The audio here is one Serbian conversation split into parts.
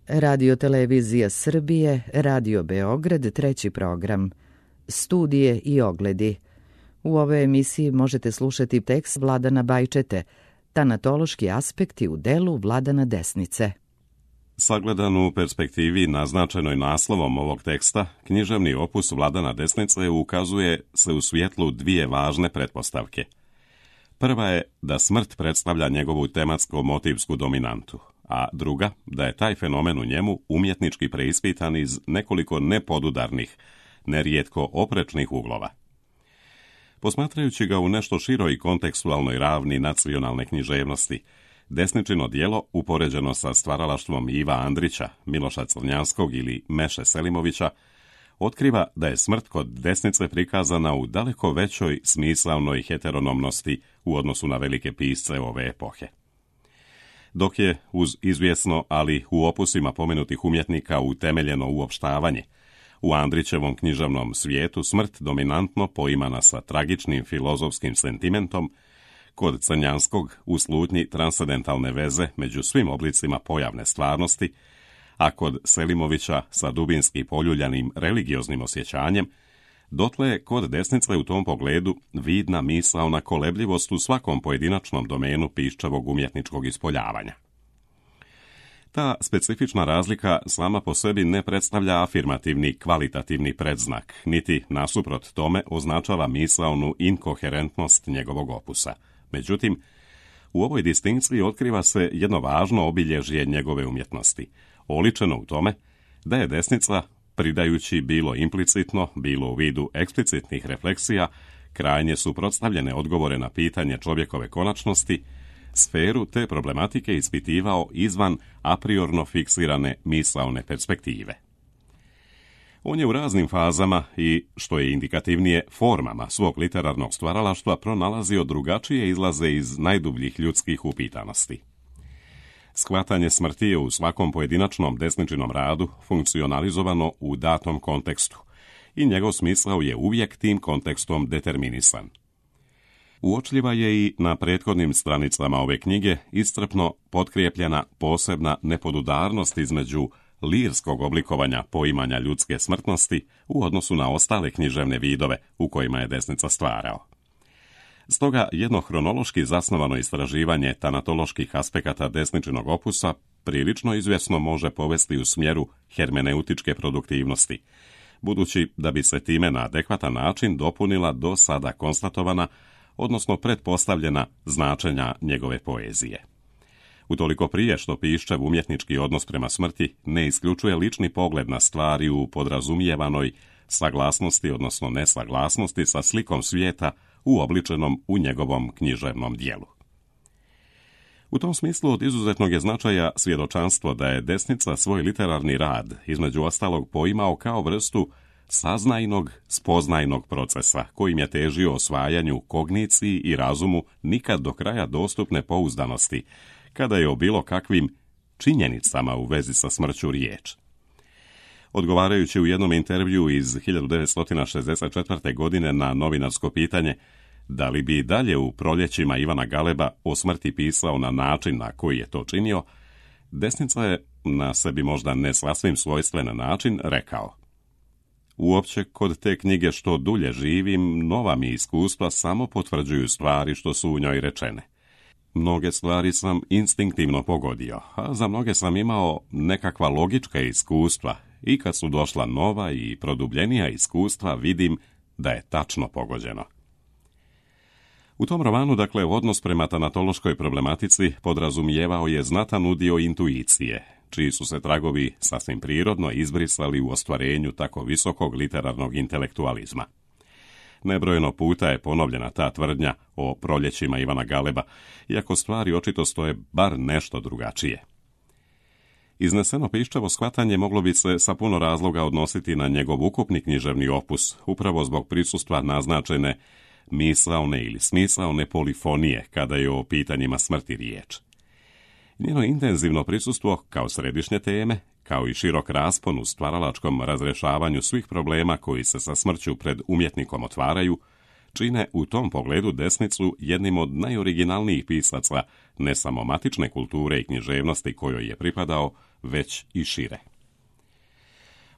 Radio Televizija Srbije, Radio Beograd, treći program. Studije i ogledi. U ovoj emisiji možete slušati tekst Vladana Bajčete, tanatološki aspekti u delu Vladana Desnice. Sagledan u perspektivi naznačenoj naslovom ovog teksta, književni opus Vladana Desnice ukazuje se u svjetlu dvije važne pretpostavke. Prva je da smrt predstavlja njegovu tematsko-motivsku dominantu, a druga da je taj fenomen u njemu umjetnički preispitan iz nekoliko nepodudarnih, nerijetko oprečnih uglova. Posmatrajući ga u nešto široj kontekstualnoj ravni nacionalne književnosti, Desničino djelo, upoređeno sa stvaralaštvom Iva Andrića, Miloša Crnjanskog ili Meše Selimovića, otkriva da je smrt kod Desnice prikazana u daleko većoj smisaonoj heteronomnosti u odnosu na velike pisce ove epohe. Dok je, uz izvjesno, ali u opusima pomenutih umjetnika utemeljeno uopštavanje, u Andrićevom književnom svijetu smrt dominantno poimana sa tragičnim filozofskim sentimentom, kod Crnjanskog u slutnji transcendentalne veze među svim oblicima pojavne stvarnosti, a kod Selimovića sa dubinski poljuljanim religioznim osjećanjem, dotle je kod Desnice u tom pogledu vidna misaona kolebljivost u svakom pojedinačnom domenu piščevog umjetničkog ispoljavanja. Ta specifična razlika sama po sebi ne predstavlja afirmativni kvalitativni predznak, niti nasuprot tome označava misaonu inkoherentnost njegovog opusa. Međutim, u ovoj distinkciji otkriva se jedno važno obilježje njegove umjetnosti, oličeno u tome da je Desnica, pridajući bilo implicitno, bilo u vidu eksplicitnih refleksija, krajnje suprotstavljene odgovore na pitanje čovjekove konačnosti, sferu te problematike ispitivao izvan apriorno fiksirane misaone perspektive. On je u raznim fazama i, što je indikativnije, formama svog literarnog stvaralaštva pronalazio drugačije izlaze iz najdubljih ljudskih upitanosti. Shvatanje smrti je u svakom pojedinačnom Desničinom radu funkcionalizovano u datom kontekstu i njegov smisao je uvijek tim kontekstom determinisan. Uočljiva je i na prethodnim stranicama ove knjige iscrpno potkrijepljena posebna nepodudarnost između lirskog oblikovanja poimanja ljudske smrtnosti u odnosu na ostale književne vidove u kojima je Desnica stvarao. Stoga jedno hronološki zasnovano istraživanje tanatoloških aspekata Desničinog opusa prilično izvjesno može povesti u smjeru hermeneutičke produktivnosti, budući da bi se time na adekvatan način dopunila do sada konstatovana, odnosno pretpostavljena značenja njegove poezije. Utoliko prije što piščev umjetnički odnos prema smrti ne isključuje lični pogled na stvari u podrazumijevanoj saglasnosti, odnosno nesaglasnosti sa slikom svijeta uobličenom u njegovom književnom dijelu. U tom smislu od izuzetnog je značaja svjedočanstvo da je Desnica svoj literarni rad, između ostalog, poimao kao vrstu saznajnog, spoznajnog procesa, kojim je težio osvajanju kogniciji i razumu nikad do kraja dostupne pouzdanosti, kada je o bilo kakvim činjenicama u vezi sa smrću riječ. Odgovarajući u jednom intervju iz 1964. godine na novinarsko pitanje da li bi dalje u Proljećima Ivana Galeba o smrti pisao na način na koji je to činio, Desnica je na sebi možda ne sasvim svojstven način rekao: uopće kod te knjige što dulje živim, nova mi iskustva samo potvrđuju stvari što su u njoj rečene. Mnoge stvari sam instinktivno pogodio, a za mnoge sam imao nekakva logička iskustva i kad su došla nova i produbljenija iskustva vidim da je tačno pogođeno. U tom romanu, dakle, odnos prema tanatološkoj problematici podrazumijevao je znatan udio intuicije, čiji su se tragovi sasvim prirodno izbrisali u ostvarenju tako visokog literarnog intelektualizma. Nebrojeno puta je ponovljena ta tvrdnja o Proljećima Ivana Galeba, iako stvari očito stoje bar nešto drugačije. Izneseno piščevo shvatanje moglo bi se sa puno razloga odnositi na njegov ukupni književni opus, upravo zbog prisustva naznačene misaone ili smisaone polifonije kada je o pitanjima smrti riječ. Njeno intenzivno prisustvo kao središnje teme, kao i širok raspon u stvaralačkom razrješavanju svih problema koji se sa smrću pred umjetnikom otvaraju, čine u tom pogledu Desnicu jednim od najoriginalnijih pisaca ne samo matične kulture i književnosti kojoj je pripadao, već i šire.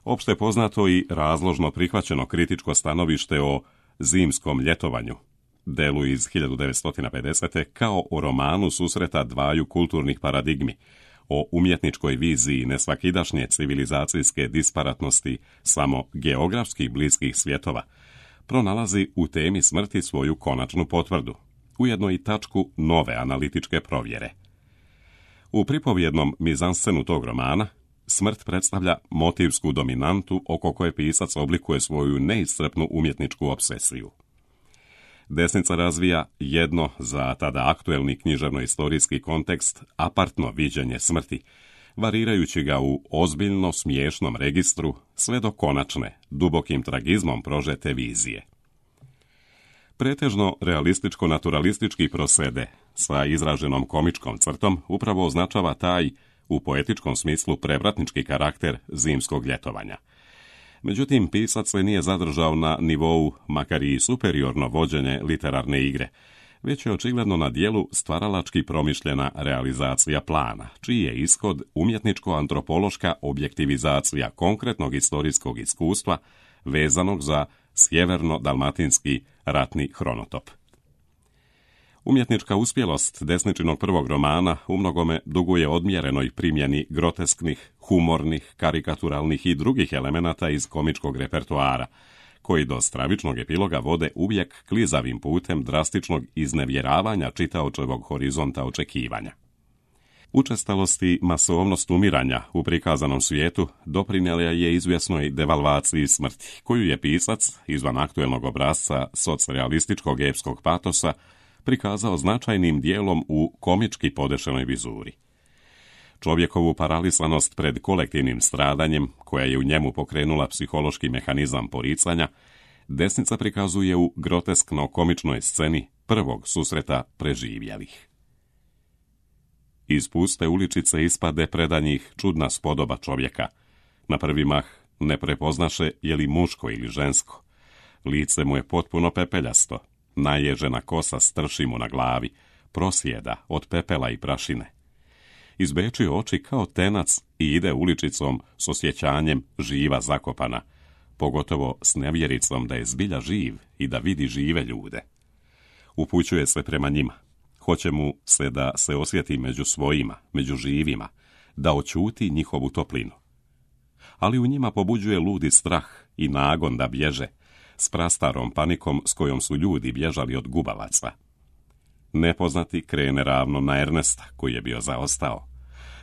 Opšte poznato i razložno prihvaćeno kritičko stanovište o zimskom ljetovanju, delu iz 1950. kao o romanu susreta dvaju kulturnih paradigmi, o umjetničkoj viziji nesvakidašnje civilizacijske disparatnosti samo geografskih bliskih svjetova, pronalazi u temi smrti svoju konačnu potvrdu, ujedno i tačku nove analitičke provjere. U pripovjednom mizanscenu tog romana smrt predstavlja motivsku dominantu oko koje pisac oblikuje svoju neiscrpnu umjetničku obsesiju. Desnica razvija jedno za tada aktuelni književno-istorijski kontekst apartno viđenje smrti, varirajući ga u ozbiljno smiješnom registru sve do konačne, dubokim tragizmom prožete vizije. Pretežno realističko-naturalistički prosede sa izraženom komičkom crtom upravo označava taj, u poetičkom smislu, prevratnički karakter zimskog ljetovanja. Međutim, pisac se nije zadržao na nivou, makar i superiorno vođenje literarne igre, već je očigledno na dijelu stvaralački promišljena realizacija plana, čiji je ishod umjetničko-antropološka objektivizacija konkretnog istorijskog iskustva vezanog za sjeverno-dalmatinski ratni hronotop. Umjetnička uspjelost desničinog prvog romana umnogome duguje odmjerenoj primjeni grotesknih, humornih, karikaturalnih i drugih elemenata iz komičkog repertoara, koji do stravičnog epiloga vode uvijek klizavim putem drastičnog iznevjeravanja čitaočevog horizonta očekivanja. Učestalost i masovnost umiranja u prikazanom svijetu doprinijela je izvjesnoj devalvaciji smrti, koju je pisac, izvan aktuelnog obrasca socrealističkog epskog patosa, prikazao značajnim dijelom u komički podešenoj vizuri. Čovjekovu paralisanost pred kolektivnim stradanjem, koja je u njemu pokrenula psihološki mehanizam poricanja, desnica prikazuje u groteskno-komičnoj sceni prvog susreta preživjelih. Iz puste uličice ispade predanjih čudna spodoba čovjeka. Na prvi mah ne prepoznaše je li muško ili žensko. Lice mu je potpuno pepeljasto, naježena kosa strši mu na glavi, prosjeda od pepela i prašine. Izbeči oči kao tenac i ide uličicom s osjećanjem živa zakopana, pogotovo s nevjericom da je zbilja živ i da vidi žive ljude. Upućuje se prema njima. Hoće mu se da se osjeti među svojima, među živima, da očuti njihovu toplinu. Ali u njima pobuđuje ludi strah i nagon da bježe, s prastarom panikom s kojom su ljudi bježali od gubavaca. Nepoznati krene ravno na Ernesta, koji je bio zaostao.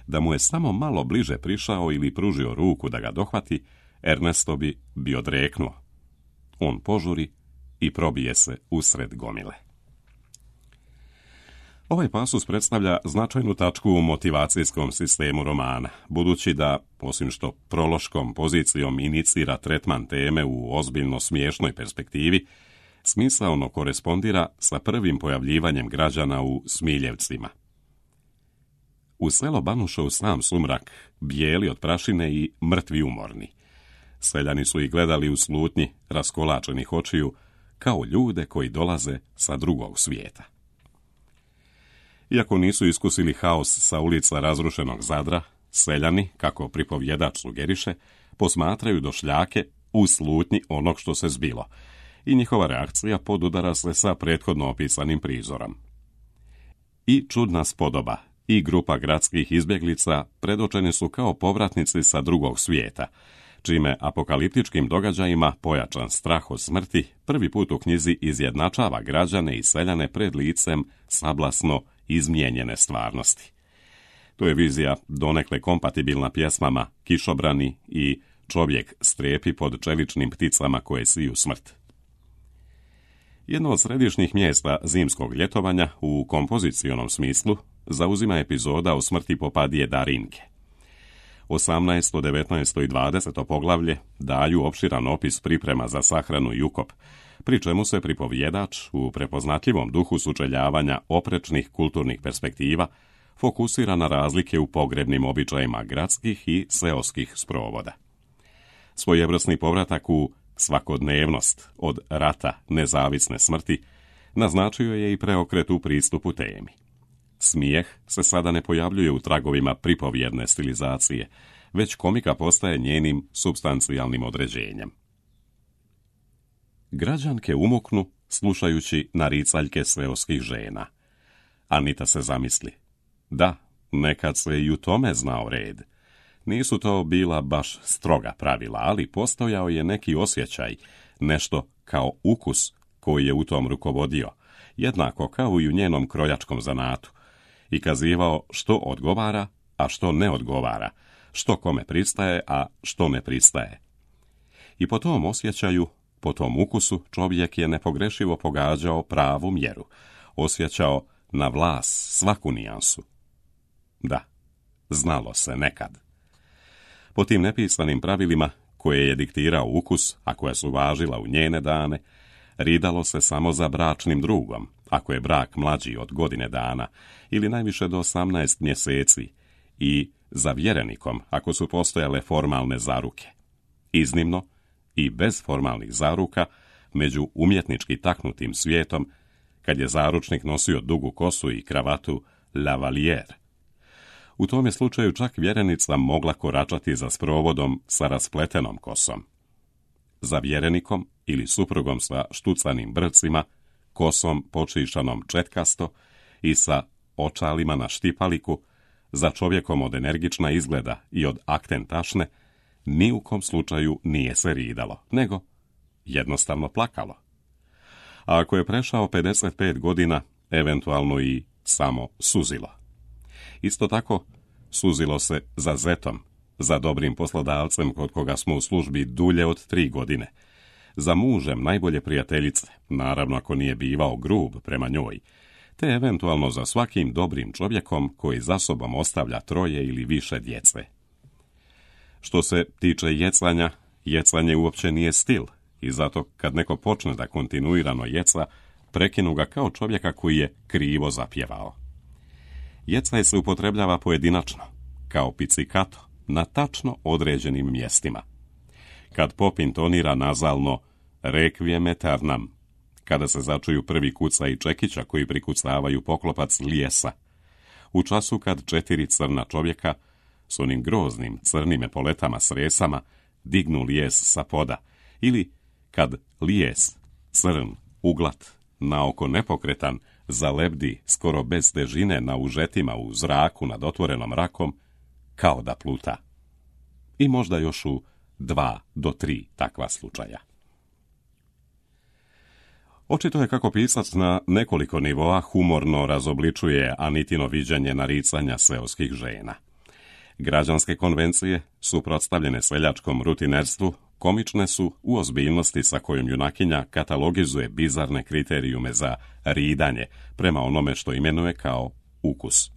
Da mu je samo malo bliže prišao ili pružio ruku da ga dohvati, Ernesto bi bio odreknuo. On požuri i probije se usred gomile. Ovaj pasus predstavlja značajnu tačku u motivacijskom sistemu romana, budući da, osim što prološkom pozicijom inicira tretman teme u ozbiljno smiješnoj perspektivi, smisaono korespondira sa prvim pojavljivanjem građana u Smiljevcima. U selo banuše u sam sumrak, bijeli od prašine i mrtvi umorni. Seljani su ih gledali u slutnji raskolačenih očiju, kao ljude koji dolaze sa drugog svijeta. Iako nisu iskusili haos sa ulica razrušenog Zadra, seljani, kako pripovjedač sugeriše, posmatraju došljake u slutnji onog što se zbilo, i njihova reakcija podudara se sa prethodno opisanim prizorom. I čudna spodoba i grupa gradskih izbjeglica predočeni su kao povratnici sa drugog svijeta, čime apokaliptičkim događajima pojačan strah od smrti prvi put u knjizi izjednačava građane i seljane pred licem sablasno izmijenjene stvarnosti. To je vizija donekle kompatibilna pjesmama Kišobrani i Čovjek strepi pod čeličnim pticama koje siju smrt. Jedno od središnjih mjesta zimskog ljetovanja u kompozicionom smislu zauzima epizoda o smrti popadije Darinke. 18., 19. i 20. poglavlje daju opširan opis priprema za sahranu i ukop, pri čemu se pripovjedač u prepoznatljivom duhu sučeljavanja oprečnih kulturnih perspektiva fokusira na razlike u pogrebnim običajima gradskih i seoskih sprovoda. Svojevrsni povratak u svakodnevnost od rata nezavisne smrti naznačio je i preokret u pristupu temi. Smijeh se sada ne pojavljuje u tragovima pripovjedne stilizacije, već komika postaje njenim supstancijalnim određenjem. Građanke umuknu slušajući naricaljke seoskih žena. Anita se zamisli. Da, nekad se i u tome znao red. Nisu to bila baš stroga pravila, ali postojao je neki osjećaj, nešto kao ukus koji je u tom rukovodio, jednako kao i u njenom krojačkom zanatu, i kazivao što odgovara, a što ne odgovara, što kome pristaje, a što ne pristaje. I po tom osjećaju, po tom ukusu, čovjek je nepogrešivo pogađao pravu mjeru, osjećao na vlas svaku nijansu. Da, znalo se nekad. Po tim nepisanim pravilima, koje je diktirao ukus, a koja su važila u njene dane, ridalo se samo za bračnim drugom, ako je brak mlađi od godine dana, ili najviše do 18 mjeseci, i za vjerenikom, ako su postojale formalne zaruke. Iznimno, i bez formalnih zaruka, među umjetnički taknutim svijetom, kad je zaručnik nosio dugu kosu i kravatu lavalier. U tom je slučaju čak vjerenica mogla koračati za sprovodom sa raspletenom kosom. Za vjerenikom ili suprugom sa štucanim brcima, kosom počišanom četkasto i sa očalima na štipaliku, za čovjekom od energična izgleda i od akten tašne, ni u kom slučaju nije se ridalo, nego jednostavno plakalo. A ako je prešao 55 godina, eventualno i samo suzilo. Isto tako, suzilo se za zetom, za dobrim poslodavcem kod koga smo u službi dulje od 3 godine, za mužem najbolje prijateljice, naravno ako nije bivao grub prema njoj, te eventualno za svakim dobrim čovjekom koji za sobom ostavlja 3 ili više djece. Što se tiče jecanja, jecanje uopće nije stil i zato kad neko počne da kontinuirano jeca, prekinu ga kao čovjeka koji je krivo zapjevao. Jecaj se upotrebljava pojedinačno, kao pizzicato, na tačno određenim mjestima. Kad pop intonira nazalno requiem aeternam, kada se začuju prvi kucaji čekića koji prikucavaju poklopac lijesa, u času kad 4 crna čovjeka s onim groznim crnim epoletama s resama dignu lijes sa poda, ili kad lijes, crn, uglat, naoko nepokretan, zalebdi skoro bez težine na užetima u zraku nad otvorenom rakom, kao da pluta. I možda još u 2 do 3 takva slučaja. Očito je kako pisac na nekoliko nivoa humorno razobličuje Anitino viđenje naricanja seoskih žena. Građanske konvencije, suprotstavljene seljačkom rutinerstvu, komične su u ozbiljnosti sa kojom junakinja katalogizuje bizarne kriterijume za ridanje prema onome što imenuje kao ukus.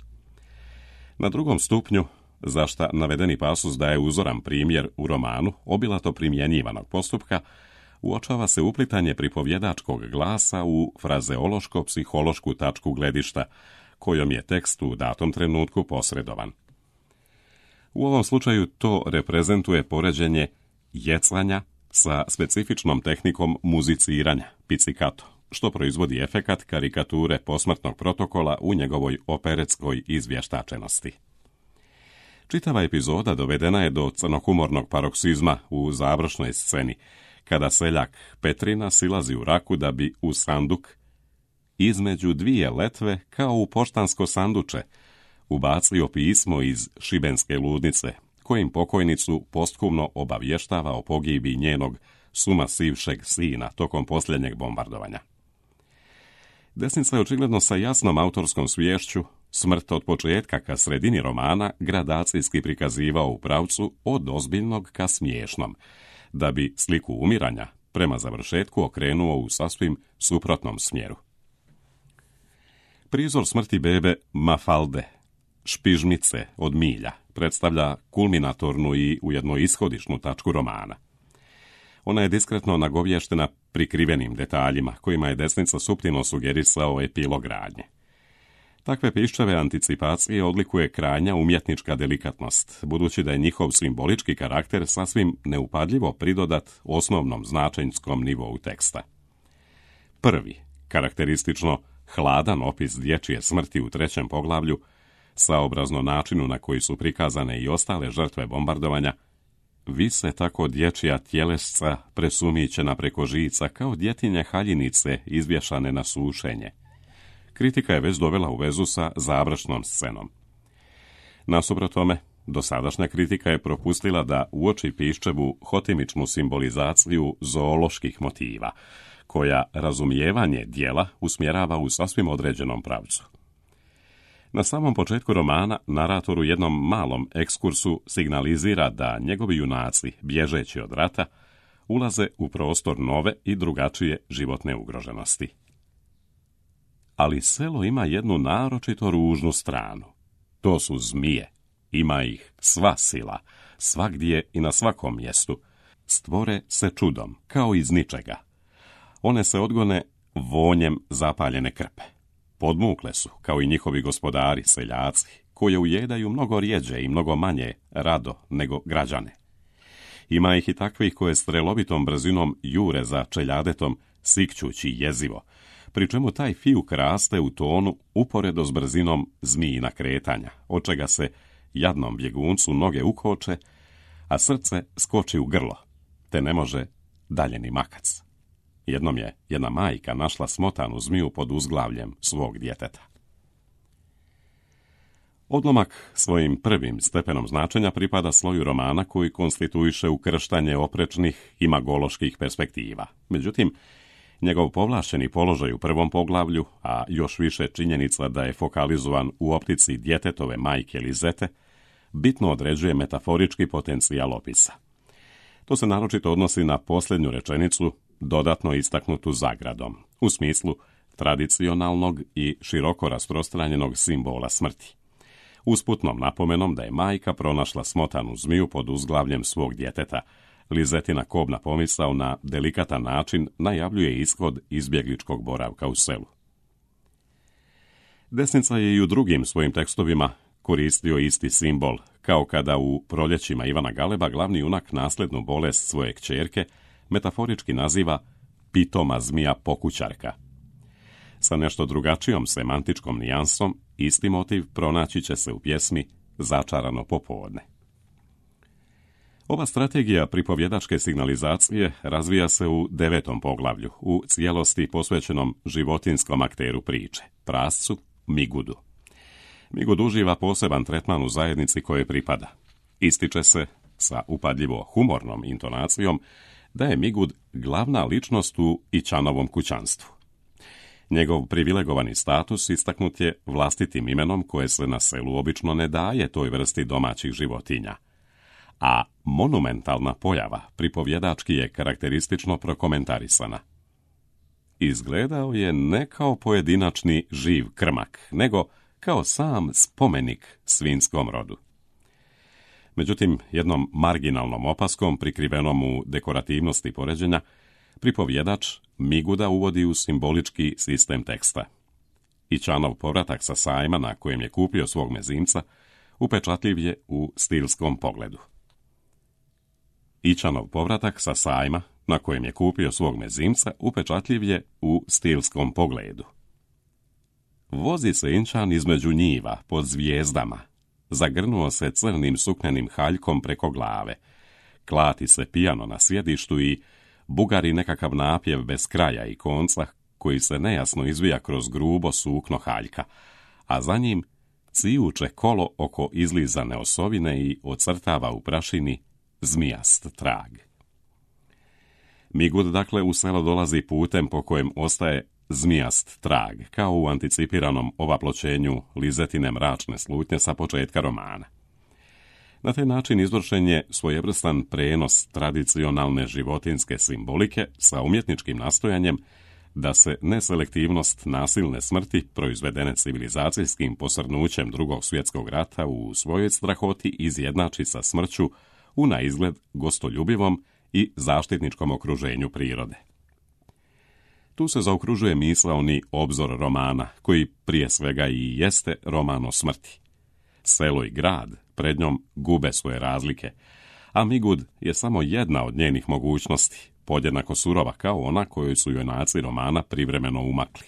Na drugom stupnju, za šta navedeni pasus daje uzoran primjer u romanu obilato primjenjivanog postupka, uočava se uplitanje pripovjedačkog glasa u frazeološko-psihološku tačku gledišta, kojom je tekst u datom trenutku posredovan. U ovom slučaju to reprezentuje poređenje jecanja sa specifičnom tehnikom muziciranja, pizzicato, što proizvodi efekat karikature posmrtnog protokola u njegovoj operetskoj izvještačenosti. Čitava epizoda dovedena je do crnohumornog paroksizma u završnoj sceni, kada seljak Petrina silazi u raku da bi u sanduk, između 2 letve kao u poštansko sanduče, ubacio pismo iz šibenske ludnice, kojim pokojnicu posthumno obavještava o pogibi njenog sumasivšeg sina tokom posljednjeg bombardovanja. Desnica je očigledno sa jasnom autorskom sviješću smrt od početka ka sredini romana gradacijski prikazivao u pravcu od ozbiljnog ka smiješnom, da bi sliku umiranja prema završetku okrenuo u sasvim suprotnom smjeru. Prizor smrti bebe Mafalde, špižmice od milja, predstavlja kulminatornu i ujedno ishodišnu tačku romana. Ona je diskretno nagovještena prikrivenim detaljima, kojima je desnica suptilno sugerisao epilog radnje. Takve piščave anticipacije odlikuje krajnja umjetnička delikatnost, budući da je njihov simbolički karakter sasvim neupadljivo pridodat osnovnom značenjskom nivou teksta. Prvi, karakteristično hladan opis dječje smrti u 3. poglavlju, saobrazno načinu na koji su prikazane i ostale žrtve bombardovanja, vise tako dječja tjelesca presumićena preko žica kao djetinje haljinice izvješane na sušenje. Kritika je već dovela u vezu sa završnom scenom. Nasuprot tome, dosadašnja kritika je propustila da uoči Piščevu hotimičnu simbolizaciju zooloških motiva, koja razumijevanje djela usmjerava u sasvim određenom pravcu. Na samom početku romana narator u jednom malom ekskursu signalizira da njegovi junaci, bježeći od rata, ulaze u prostor nove i drugačije životne ugroženosti. Ali selo ima jednu naročito ružnu stranu. To su zmije. Ima ih sva sila, svagdje i na svakom mjestu. Stvore se čudom, kao iz ničega. One se odgone vonjem zapaljene krpe. Podmukle su, kao i njihovi gospodari, seljaci, koje ujedaju mnogo rjeđe i mnogo manje rado nego građane. Ima ih i takvih koje strelovitom brzinom jure za čeljadetom, sikćući jezivo, pri čemu taj fijuk raste u tonu uporedo s brzinom zmijina kretanja, od čega se jadnom bjeguncu noge ukoče, a srce skoči u grlo, te ne može dalje ni makac. Jednom je jedna majka našla smotanu zmiju pod uzglavljem svog djeteta. Odlomak svojim prvim stepenom značenja pripada sloju romana koji konstituiše ukrštanje oprečnih imagoloških perspektiva. Međutim, njegov povlašćeni položaj u 1. poglavlju, a još više činjenica da je fokalizovan u optici djetetove majke Lizete, bitno određuje metaforički potencijal opisa. To se naročito odnosi na posljednju rečenicu, dodatno istaknutu zagradom, u smislu tradicionalnog i široko rasprostranjenog simbola smrti. Usputnom napomenom da je majka pronašla smotanu zmiju pod uzglavljem svog djeteta, Lizetina kobna pomisao na delikatan način najavljuje ishod izbjegličkog boravka u selu. Desnica je i u drugim svojim tekstovima koristio isti simbol, kao kada u Proljećima Ivana Galeba glavni junak nasljednu bolest svoje kćerke metaforički naziva pitoma zmija pokućarka. Sa nešto drugačijom semantičkom nijansom, isti motiv pronaći će se u pjesmi Začarano popodne. Ova strategija pripovjedačke signalizacije razvija se u 9. poglavlju, u cijelosti posvećenom životinskom akteru priče, prascu Migudu. Migud uživa poseban tretman u zajednici koje pripada. Ističe se, sa upadljivo humornom intonacijom, da je Migud glavna ličnost u Ićanovom kućanstvu. Njegov privilegovani status istaknut je vlastitim imenom koje se na selu obično ne daje toj vrsti domaćih životinja. A monumentalna pojava pripovjedački je karakteristično prokomentarisana. Izgledao je ne kao pojedinačni živ krmak, nego kao sam spomenik svinjskom rodu. Međutim, jednom marginalnom opaskom prikrivenom u dekorativnosti poređenja, pripovjedač Miguda uvodi u simbolički sistem teksta. Ićanov povratak sa sajma na kojem je kupio svog mezimca upečatljiv je u stilskom pogledu. Ićanov povratak sa sajma na kojem je kupio svog mezimca upečatljiv je u stilskom pogledu. Vozi se Inčan između njiva pod zvijezdama, zagrnuo se crnim suknenim haljkom preko glave, klati se pijano na sjedištu i bugari nekakav napjev bez kraja i konca koji se nejasno izvija kroz grubo sukno haljka, a za njim cijuče kolo oko izlizane osovine i ocrtava u prašini zmijast trag. Migud dakle u selo dolazi putem po kojem ostaje zmijast trag, kao u anticipiranom ovaploćenju Lizetine mračne slutnje sa početka romana. Na taj način izvršen je svojevrstan prenos tradicionalne životinske simbolike sa umjetničkim nastojanjem da se neselektivnost nasilne smrti proizvedene civilizacijskim posrnućem Drugog svjetskog rata u svojoj strahoti izjednači sa smrću u naizgled gostoljubivom i zaštitničkom okruženju prirode. Tu se zaokružuje misaoni obzor romana, koji prije svega i jeste roman o smrti. Selo i grad pred njom gube svoje razlike, a Migud je samo jedna od njenih mogućnosti, podjednako surova kao ona kojoj su junaci romana privremeno umakli.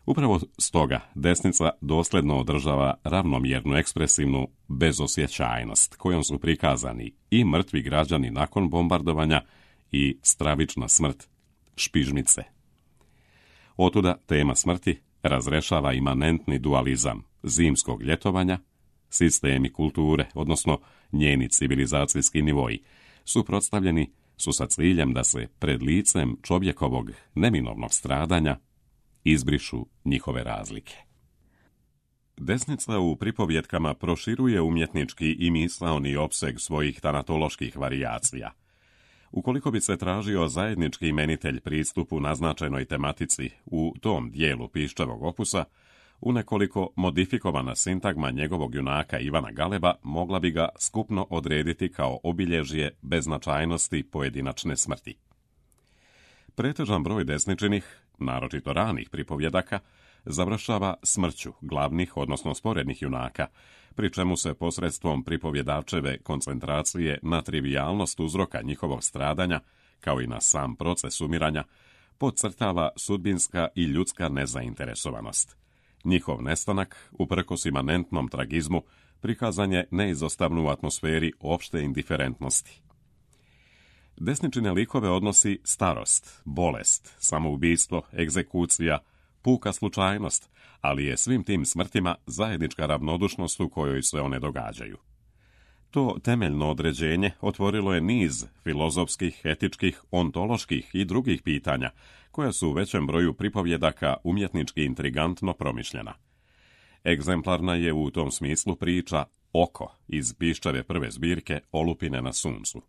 Upravo stoga desnica dosljedno održava ravnomjernu ekspresivnu bezosjećajnost kojom su prikazani i mrtvi građani nakon bombardovanja i stravična smrt špižmice. Otuda tema smrti razrešava imanentni dualizam zimskog ljetovanja, sistemi kulture, odnosno njeni civilizacijski nivoji, suprotstavljeni su sa ciljem da se pred licem čovjekovog neminovnog stradanja izbrišu njihove razlike. Desnica u pripovjetkama proširuje umjetnički i misaoni opseg svojih tanatoloških varijacija. Ukoliko bi se tražio zajednički imenitelj pristupu naznačenoj tematici u tom dijelu Piščevog opusa, u nekoliko modifikovana sintagma njegovog junaka Ivana Galeba mogla bi ga skupno odrediti kao obilježje beznačajnosti pojedinačne smrti. Pretežan broj desničinih, naročito ranih pripovjedaka, završava smrću glavnih, odnosno sporednih junaka, pri čemu se posredstvom pripovjedačeve koncentracije na trivijalnost uzroka njihovog stradanja, kao i na sam proces umiranja, podcrtava sudbinska i ljudska nezainteresovanost. Njihov nestanak, uprkos imanentnom tragizmu, prikazan je neizostavno u atmosferi opšte indiferentnosti. Desničine likove odnosi starost, bolest, samoubistvo, egzekucija, puka slučajnost, ali je svim tim smrtima zajednička ravnodušnost u kojoj se one događaju. To temeljno određenje otvorilo je niz filozofskih, etičkih, ontoloških i drugih pitanja, koja su u većem broju pripovjedaka umjetnički intrigantno promišljena. Egzemplarna je u tom smislu priča Oko iz Piščeve prve zbirke Olupine na suncu.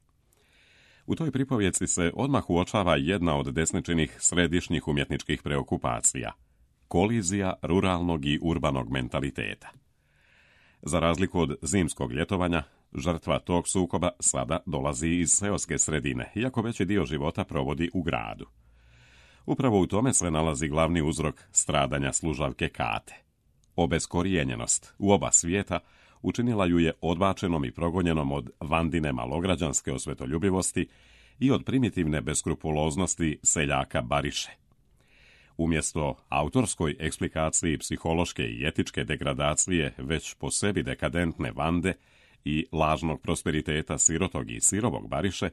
U toj pripovjeci se odmah uočava jedna od desničinih središnjih umjetničkih preokupacija – kolizija ruralnog i urbanog mentaliteta. Za razliku od zimskog ljetovanja, žrtva tog sukoba sada dolazi iz seoske sredine, iako veći dio života provodi u gradu. Upravo u tome se nalazi glavni uzrok stradanja služavke Kate. Obeskorijenjenost u oba svijeta učinila ju je odbačenom i progonjenom od Vandine malograđanske osvetoljubivosti i od primitivne beskrupuloznosti seljaka Bariše. Umjesto autorskoj eksplikaciji psihološke i etičke degradacije već po sebi dekadentne Vande i lažnog prosperiteta sirotog i sirovog Bariše,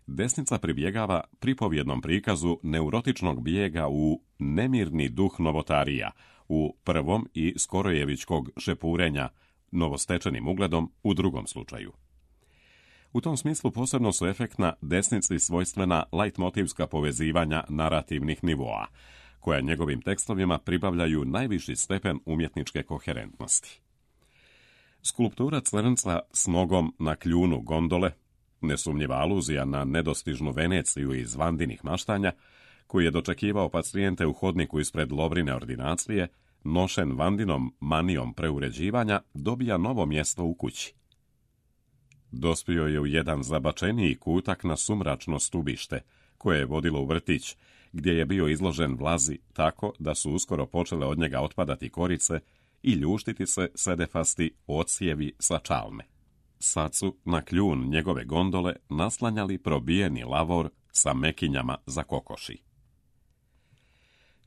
desnica pribjegava pripovjednom prikazu neurotičnog bijega u nemirni duh novotarija, u prvom i skorojevičkog šepurenja novostečenim ugledom u drugom slučaju. U tom smislu posebno su efektna desnici svojstvena leitmotivska povezivanja narativnih nivoa, koja njegovim tekstovima pribavljaju najviši stepen umjetničke koherentnosti. Skulptura crnca s nogom na kljunu gondole, nesumnjiva aluzija na nedostižnu Veneciju iz Vandinih maštanja, koji je dočekivao pacijente u hodniku ispred Lovrine ordinacije, nošen Vandinom manijom preuređivanja, dobija novo mjesto u kući. Dospio je u jedan zabačeniji kutak na sumračno stubište, koje je vodilo u vrtić, gdje je bio izložen vlazi tako da su uskoro počele od njega otpadati korice i ljuštiti se sedefasti odsjevi sa čalme. Sad su na kljun njegove gondole naslanjali probijeni lavor sa mekinjama za kokoši.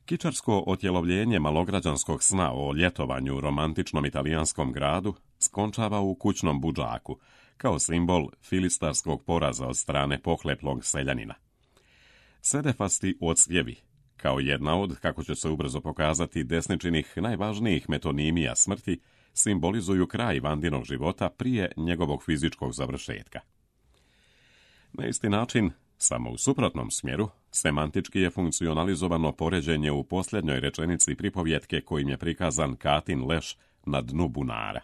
Kičarsko otjelovljenje malograđanskog sna o ljetovanju u romantičnom italijanskom gradu skončava u kućnom budžaku, kao simbol filistarskog poraza od strane pohleplog seljanina. Sedefasti odsjevi, kao jedna od, kako će se ubrzo pokazati, desničinih najvažnijih metonimija smrti, simbolizuju kraj Vandinog života prije njegovog fizičkog završetka. Na isti način, samo u suprotnom smjeru, semantički je funkcionalizovano poređenje u posljednjoj rečenici pripovjetke kojim je prikazan Katin leš na dnu bunara.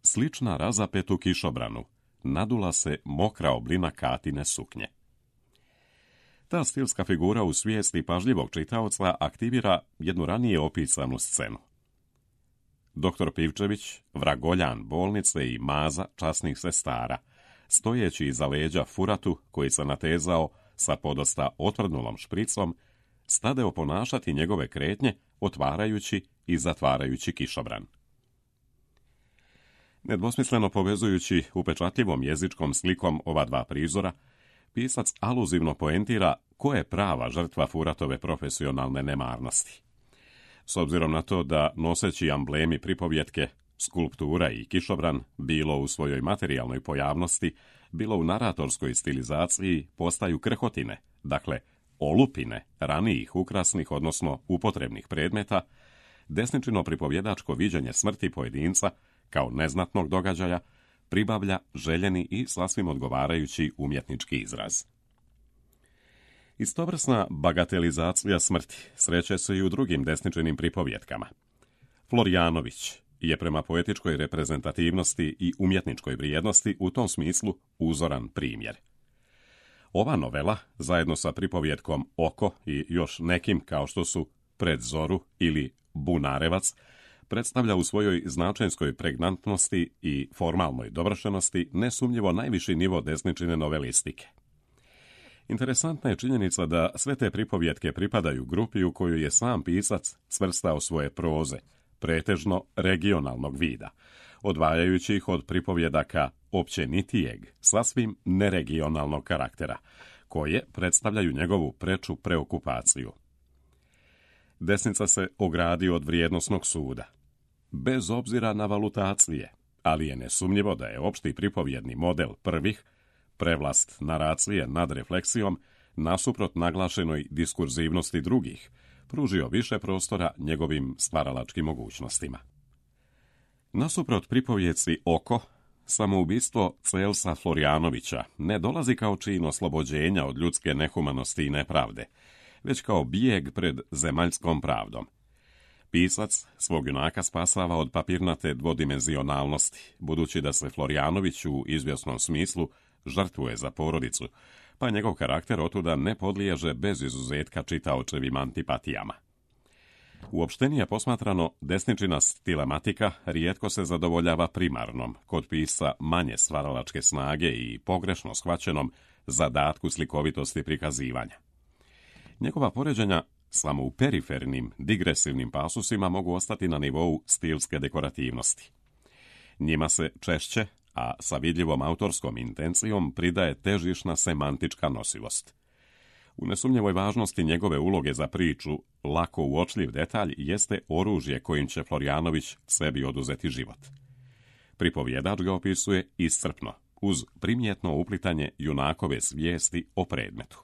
Slična razapetu kišobranu, nadula se mokra oblina Katine suknje. Ta stilska figura u svijesti pažljivog čitaoca aktivira jednu ranije opisanu scenu. Doktor Pivčević, vragoljan bolnice i maza časnih sestara, stojeći iza leđa furatu koji se natezao sa podosta otvrdnulom špricom, stade oponašati njegove kretnje, otvarajući i zatvarajući kišobran. Nedvosmisleno povezujući upečatljivom jezičkom slikom ova dva prizora, pisac aluzivno poentira ko je prava žrtva furatove profesionalne nemarnosti. s obzirom na to da noseći amblemi pripovjetke, skulptura i kišobran, bilo u svojoj materijalnoj pojavnosti, bilo u naratorskoj stilizaciji, postaju krhotine, dakle olupine ranijih ukrasnih, odnosno upotrebnih predmeta, desničino pripovjedačko viđenje smrti pojedinca kao neznatnog događaja pribavlja željeni i sasvim odgovarajući umjetnički izraz. Istovrsna bagatelizacija smrti sreće se i u drugim desničinim pripovjetkama. Florijanović je prema poetičkoj reprezentativnosti i umjetničkoj vrijednosti u tom smislu uzoran primjer. Ova novela, zajedno sa pripovjetkom Oko i još nekim kao što su Pred zoru ili Bunarevac, predstavlja u svojoj značenskoj pregnantnosti i formalnoj dovršenosti nesumnjivo najviši nivo desničine novelistike. Interesantna je činjenica da sve te pripovjetke pripadaju grupi u koju je sam pisac svrstao svoje proze, pretežno regionalnog vida, odvajajući ih od pripovjedaka općenitijeg, sasvim neregionalnog karaktera, koje predstavljaju njegovu preču preokupaciju. Desnica se ogradi od vrijednosnog suda, bez obzira na valutacije, ali je nesumnjivo da je opšti pripovjedni model prvih, prevlast naracije nad refleksijom, nasuprot naglašenoj diskurzivnosti drugih, pružio više prostora njegovim stvaralačkim mogućnostima. Nasuprot pripovjeci Oko, samoubistvo Celsa Florijanovića ne dolazi kao čin oslobođenja od ljudske nehumanosti i nepravde, već kao bijeg pred zemaljskom pravdom. Pisac svog junaka spasava od papirnate dvodimenzionalnosti, budući da se Florijanović u izvjesnom smislu žrtvuje za porodicu, pa njegov karakter otuda ne podliježe bez izuzetka čitaočevim antipatijama. Uopštenije posmatrano, desničina stilematika rijetko se zadovoljava primarnom, kod pisca manje stvaralačke snage i pogrešno shvaćenom zadatku slikovitosti prikazivanja. Njegova poređenja samo u perifernim, digresivnim pasusima mogu ostati na nivou stilske dekorativnosti. Njima se češće, a sa vidljivom autorskom intencijom, pridaje težišna semantička nosivost. U nesumnjivoj važnosti njegove uloge za priču, lako uočljiv detalj jeste oružje kojim će Florijanović sebi oduzeti život. Pripovjedač ga opisuje iscrpno, uz primjetno uplitanje junakove svijesti o predmetu.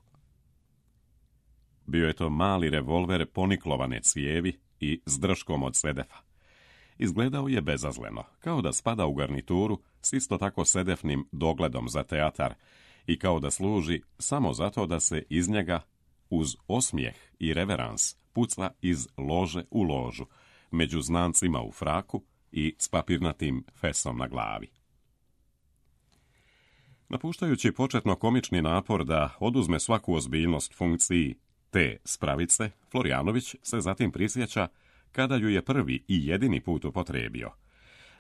Bio je to mali revolver poniklovane cijevi i s držkom od sedefa. Izgledao je bezazleno, kao da spada u garnituru s isto tako sedefnim dogledom za teatar i kao da služi samo zato da se iz njega, uz osmijeh i reverans, puca iz lože u ložu, među znancima u fraku i s papirnatim fesom na glavi. Napuštajući početno komični napor da oduzme svaku ozbiljnost funkciji te spravice, Florijanović se zatim prisjeća kada ju je prvi i jedini put upotrijebio.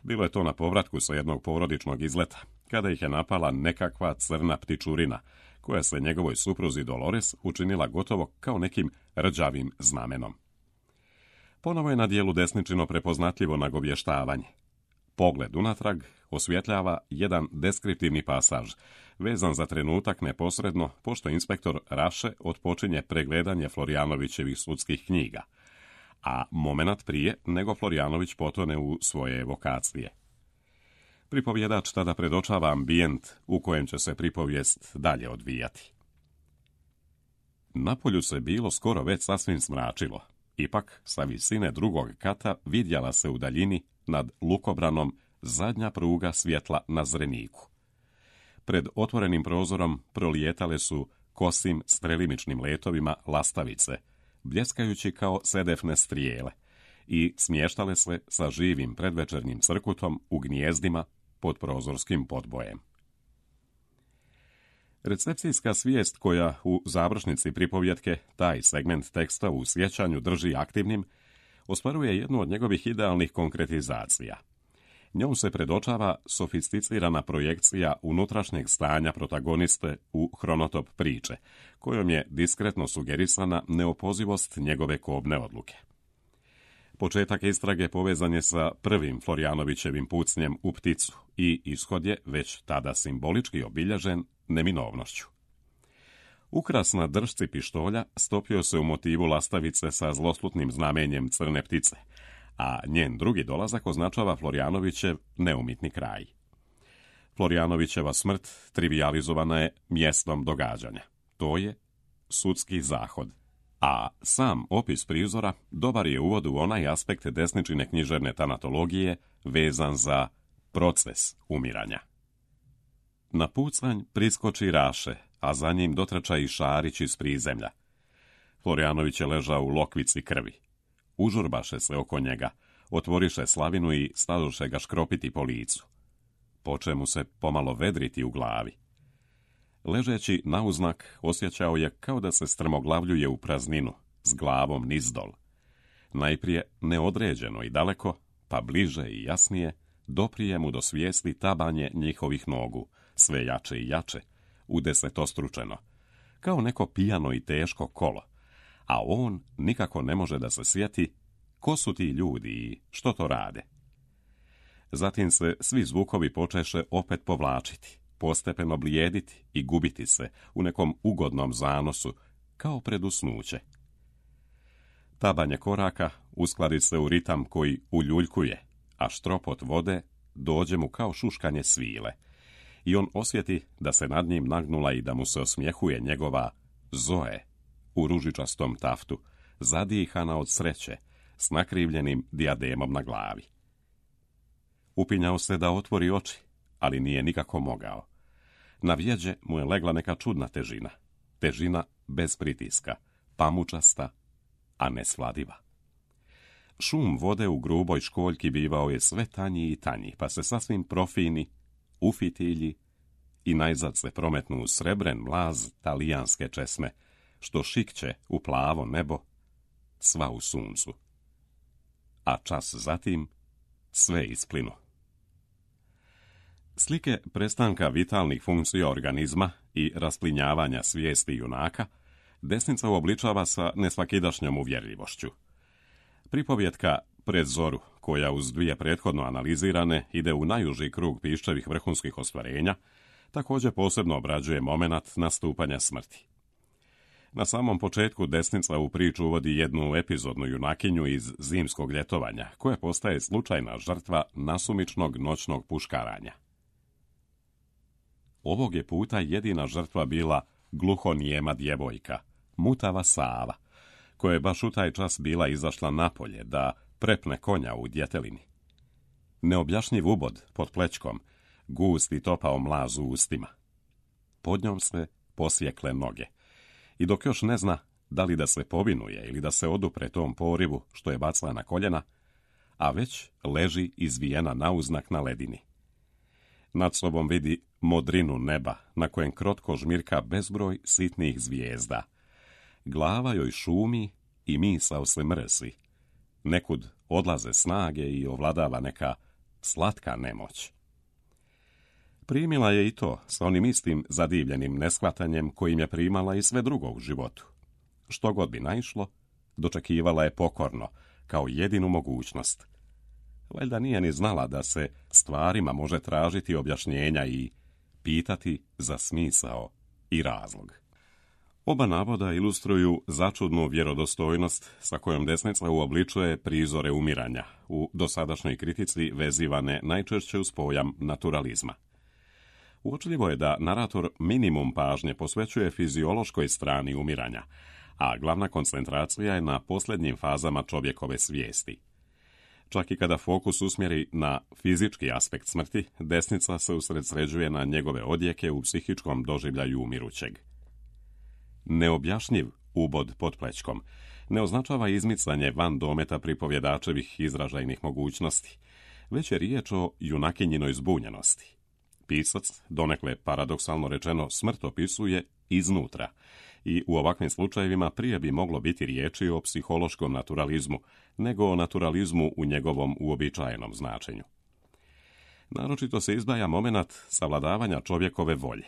Bilo je to na povratku sa jednog porodičnog izleta, kada ih je napala nekakva crna ptičurina, koja se njegovoj supruzi Dolores učinila gotovo kao nekim rđavim znamenom. Ponovo je na dijelu desničino prepoznatljivo nagovještavanje. Pogled unatrag osvjetljava jedan deskriptivni pasaž, vezan za trenutak neposredno, pošto inspektor Raše otpočinje pregledanje Florijanovićevih sudskih knjiga, a momenat prije nego Florijanović potone u svoje evokacije. Pripovjedač tada predočava ambijent u kojem će se pripovijest dalje odvijati. Napolju se bilo skoro već sasvim smračilo, ipak sa visine drugog kata vidjela se u daljini nad lukobranom zadnja pruga svjetla na Zreniku. Pred otvorenim prozorom prolijetale su kosim strelimičnim letovima lastavice, bljeskajući kao sedefne strijele, i smještale se sa živim predvečernjim crkutom u gnjezdima pod prozorskim podbojem. Recepcijska svijest koja u završnici pripovjetke taj segment teksta u sjećanju drži aktivnim, ostvaruje jednu od njegovih idealnih konkretizacija. Njom se predočava sofisticirana projekcija unutrašnjeg stanja protagoniste u hronotop priče, kojom je diskretno sugerisana neopozivost njegove kobne odluke. Početak istrage povezan je sa prvim Florijanovićevim pucnjem u pticu i ishod je već tada simbolički obilježen neminovnošću. Ukras na držci pištolja stopio se u motivu lastavice sa zloslutnim znamenjem crne ptice, a njen drugi dolazak označava Florjanovićev neumitni kraj. Florjanovićeva smrt trivijalizovana je mjestom događanja. To je sudski zahod. A sam opis prizora dobar je uvod u onaj aspekt desničine književne tanatologije vezan za proces umiranja. Na pucanj priskoči Raše, a za njim dotrča i Šarić iz prizemlja. Florjanović je ležao u lokvici krvi. Užurbaše se oko njega, otvoriše slavinu i stadoše ga škropiti po licu. Poče mu se pomalo vedriti u glavi. Ležeći nauznak, osjećao je kao da se strmoglavljuje u prazninu, s glavom nizdol. Najprije neodređeno i daleko, pa bliže i jasnije, doprije mu do svijesti tabanje njihovih nogu, sve jače i jače, udesetostručeno, kao neko pijano i teško kolo, a on nikako ne može da se sjeti ko su ti ljudi i što to rade. Zatim se svi zvukovi počeše opet povlačiti, postepeno blijediti i gubiti se u nekom ugodnom zanosu, kao pred usnuće. Tabanje koraka uskladi se u ritam koji uljuljkuje, a štropot vode dođe mu kao šuškanje svile, i on osjeti da se nad njim nagnula i da mu se osmjehuje njegova Zoe u ružičastom taftu, zadihana od sreće, s nakrivljenim dijademom na glavi. Upinjao se da otvori oči, ali nije nikako mogao. Na vjeđe mu je legla neka čudna težina. Težina bez pritiska, pamučasta, a nesvladiva. Šum vode u gruboj školjki bivao je sve tanji i tanji, pa se sasvim profini, ufitilji i najzad se prometnu u srebren mlaz talijanske česme, što šikće u plavo nebo, sva u suncu. A čas zatim sve isplinu. Slike prestanka vitalnih funkcija organizma i rasplinjavanja svijesti junaka desnica uobličava sa nesvakidašnjom uvjerljivošću. Pripovjetka Pred zoru, koja uz dvije prethodno analizirane ide u najuži krug Piščevih vrhunskih ostvarenja, također posebno obrađuje momenat nastupanja smrti. Na samom početku desnica u priču uvodi jednu epizodnu junakinju iz zimskog ljetovanja, koja postaje slučajna žrtva nasumičnog noćnog puškaranja. Ovog je puta jedina žrtva bila gluhonijema djevojka, mutava Sava, koja je baš u taj čas bila izašla napolje da prepne konja u djetelini. Neobjašnjiv ubod pod plećkom, gust i topao mlaz u ustima. Pod njom se posjekle noge. I dok još ne zna da li da se povinuje ili da se odupre tom porivu što je bacila na koljena, a već leži izvijena nauznak na ledini. Nad sobom vidi modrinu neba na kojem krotko žmirka bezbroj sitnih zvijezda. Glava joj šumi i misao se mrsi. Nekud odlaze snage i ovladava neka slatka nemoć. Primila je i to sa onim istim zadivljenim neshvatanjem kojim je primala i sve drugo u životu. Što god bi naišlo, dočekivala je pokorno, kao jedinu mogućnost. Valjda nije ni znala da se stvarima može tražiti objašnjenja i pitati za smisao i razlog. Oba navoda ilustruju začudnu vjerodostojnost sa kojom desnica uobličuje prizore umiranja, u dosadašnjoj kritici vezivane najčešće uz pojam naturalizma. Uočljivo je da narator minimum pažnje posvećuje fiziološkoj strani umiranja, a glavna koncentracija je na posljednjim fazama čovjekove svijesti. Čak i kada fokus usmjeri na fizički aspekt smrti, desnica se usredsređuje na njegove odjeke u psihičkom doživljaju umirućeg. Neobjašnjiv ubod pod plećkom ne označava izmicanje van dometa pripovjedačevih izražajnih mogućnosti, već je riječ o junakinjinoj zbunjenosti. Pisac, donekle paradoksalno rečeno, smrt opisuje iznutra i u ovakvim slučajevima prije bi moglo biti riječi o psihološkom naturalizmu, nego o naturalizmu u njegovom uobičajenom značenju. Naročito se izdvaja momenat savladavanja čovjekove volje.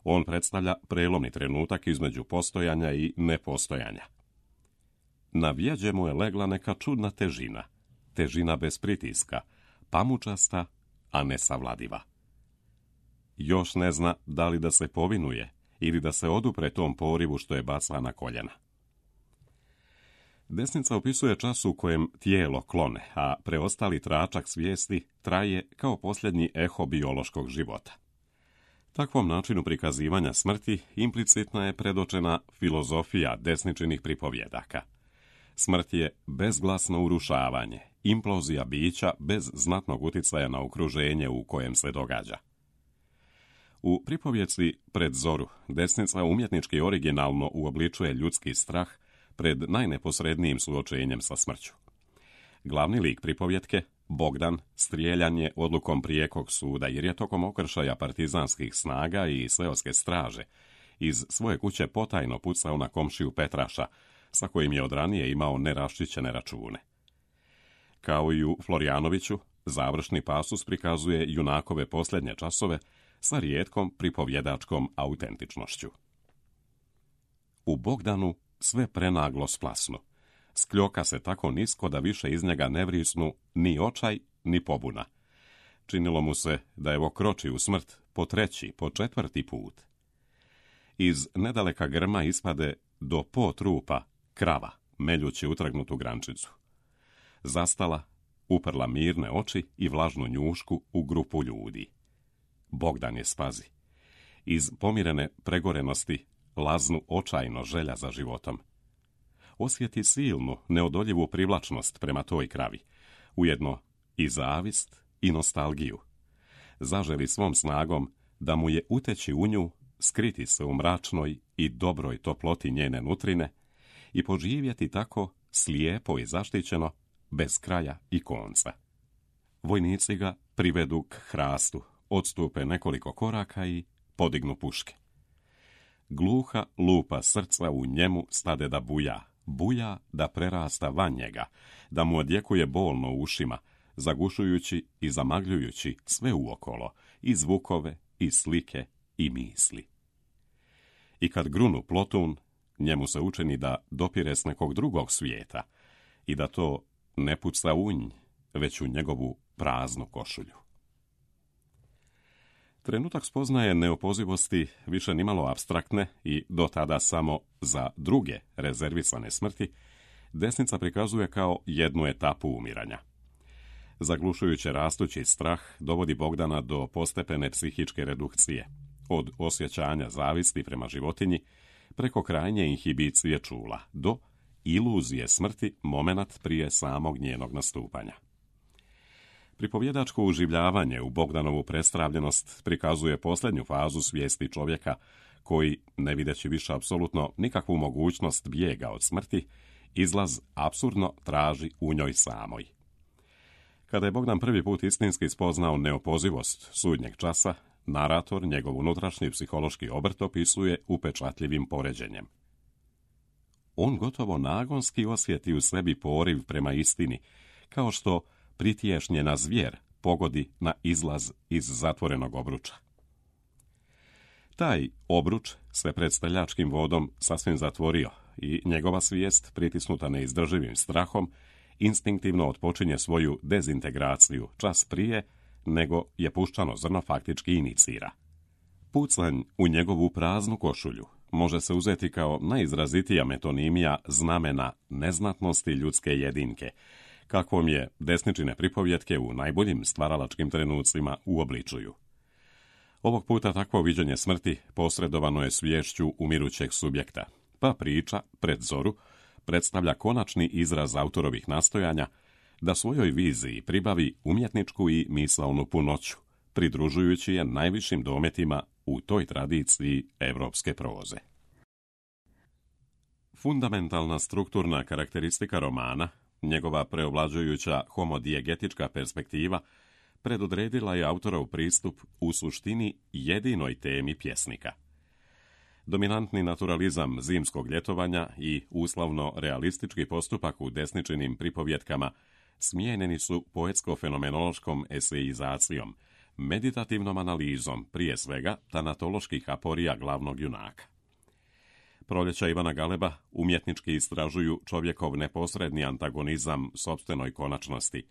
On predstavlja prelomni trenutak između postojanja i nepostojanja. Na vjeđe mu je legla neka čudna težina, težina bez pritiska, pamučasta, a nesavladiva. Još ne zna da li da se povinuje ili da se odupre tom porivu što je baca na koljena. Desnica opisuje čas u kojem tijelo klone, a preostali tračak svijesti traje kao posljednji eho biološkog života. Takvom načinu prikazivanja smrti implicitna je predočena filozofija desničinih pripovjedaka. Smrt je bezglasno urušavanje, implozija bića bez znatnog utjecaja na okruženje u kojem se događa. U pripovjedci Pred zoru desnica umjetnički originalno uobličuje ljudski strah pred najneposrednijim suočenjem sa smrću. Glavni lik pripovjetke, Bogdan, strijeljan je odlukom prijekog suda jer je tokom okršaja partizanskih snaga i seoske straže iz svoje kuće potajno pucao na komšiju Petraša, sa kojim je od ranije imao neraščićene račune. Kao i u Florjanoviću, završni pasus prikazuje junakove posljednje časove sa rijetkom pripovjedačkom autentičnošću. U Bogdanu sve prenaglo splasnu. Skljoka se tako nisko da više iz njega ne vrisnu ni očaj, ni pobuna. Činilo mu se da evo kroči u smrt po treći, po četvrti put. Iz nedaleka grma ispade do po trupa krava, meljući utrgnutu grančicu. Zastala, uprla mirne oči i vlažnu njušku u grupu ljudi. Bogdan je spazi. Iz pomirene pregorenosti laznu očajno želja za životom. Osjeti silnu, neodoljivu privlačnost prema toj kravi, ujedno i zavist i nostalgiju. Zaželi svom snagom da mu je uteći u nju, skriti se u mračnoj i dobroj toploti njene nutrine i poživjeti tako slijepo i zaštićeno, bez kraja i konca. Vojnici ga privedu k hrastu, odstupe nekoliko koraka i podignu puške. Gluha lupa srca u njemu stade da buja da prerasta van njega, da mu odjekuje bolno u ušima, zagušujući i zamagljujući sve uokolo, i zvukove, i slike, i misli. I kad grunu plotun, njemu se učini da dopire s nekog drugog svijeta i da to ne puca u nj, već u njegovu praznu košulju. Trenutak spoznaje neopozivosti više nimalo apstraktne i do tada samo za druge rezervisane smrti, desnica prikazuje kao jednu etapu umiranja. Zaglušujuće rastući strah dovodi Bogdana do postepene psihičke redukcije, od osjećanja zavisti prema životinji, preko krajnje inhibicije čula, do iluzije smrti momenat prije samog njenog nastupanja. Pripovjedačko uživljavanje u Bogdanovu prestravljenost prikazuje posljednju fazu svijesti čovjeka koji, ne videći više apsolutno nikakvu mogućnost bijega od smrti, izlaz apsurdno traži u njoj samoj. Kada je Bogdan prvi put istinski spoznao neopozivost sudnjeg časa, narator njegov unutrašnji psihološki obrt opisuje upečatljivim poređenjem. On gotovo nagonski osjeti u sebi poriv prema istini, kao što pritješnjena zvijer pogodi na izlaz iz zatvorenog obruča. Taj obruč se pred steljačkim vodom sasvim zatvorio i njegova svijest, pritisnuta neizdrživim strahom, instinktivno otpočinje svoju dezintegraciju čas prije nego je puščano zrno faktički inicira. Pucanj u njegovu praznu košulju može se uzeti kao najizrazitija metonimija znamena neznatnosti ljudske jedinke, kakvom je desničine pripovjetke u najboljim stvaralačkim trenucima uobličuju. Ovog puta takvo viđenje smrti posredovano je sviješću umirućeg subjekta, pa priča Pred zoru predstavlja konačni izraz autorovih nastojanja da svojoj viziji pribavi umjetničku i misaonu punoću, pridružujući je najvišim dometima u toj tradiciji evropske proze. Fundamentalna strukturna karakteristika romana, njegova preovlađujuća homodijegetička perspektiva, predodredila je autorov pristup u suštini jedinoj temi pjesnika. Dominantni naturalizam zimskog ljetovanja i uslovno realistički postupak u desničinim pripovjetkama smijenjeni su poetsko-fenomenološkom esejizacijom, meditativnom analizom, prije svega tanatoloških aporija glavnog junaka. Proljeća Ivana Galeba umjetnički istražuju čovjekov neposredni antagonizam sopstvenoj konačnosti,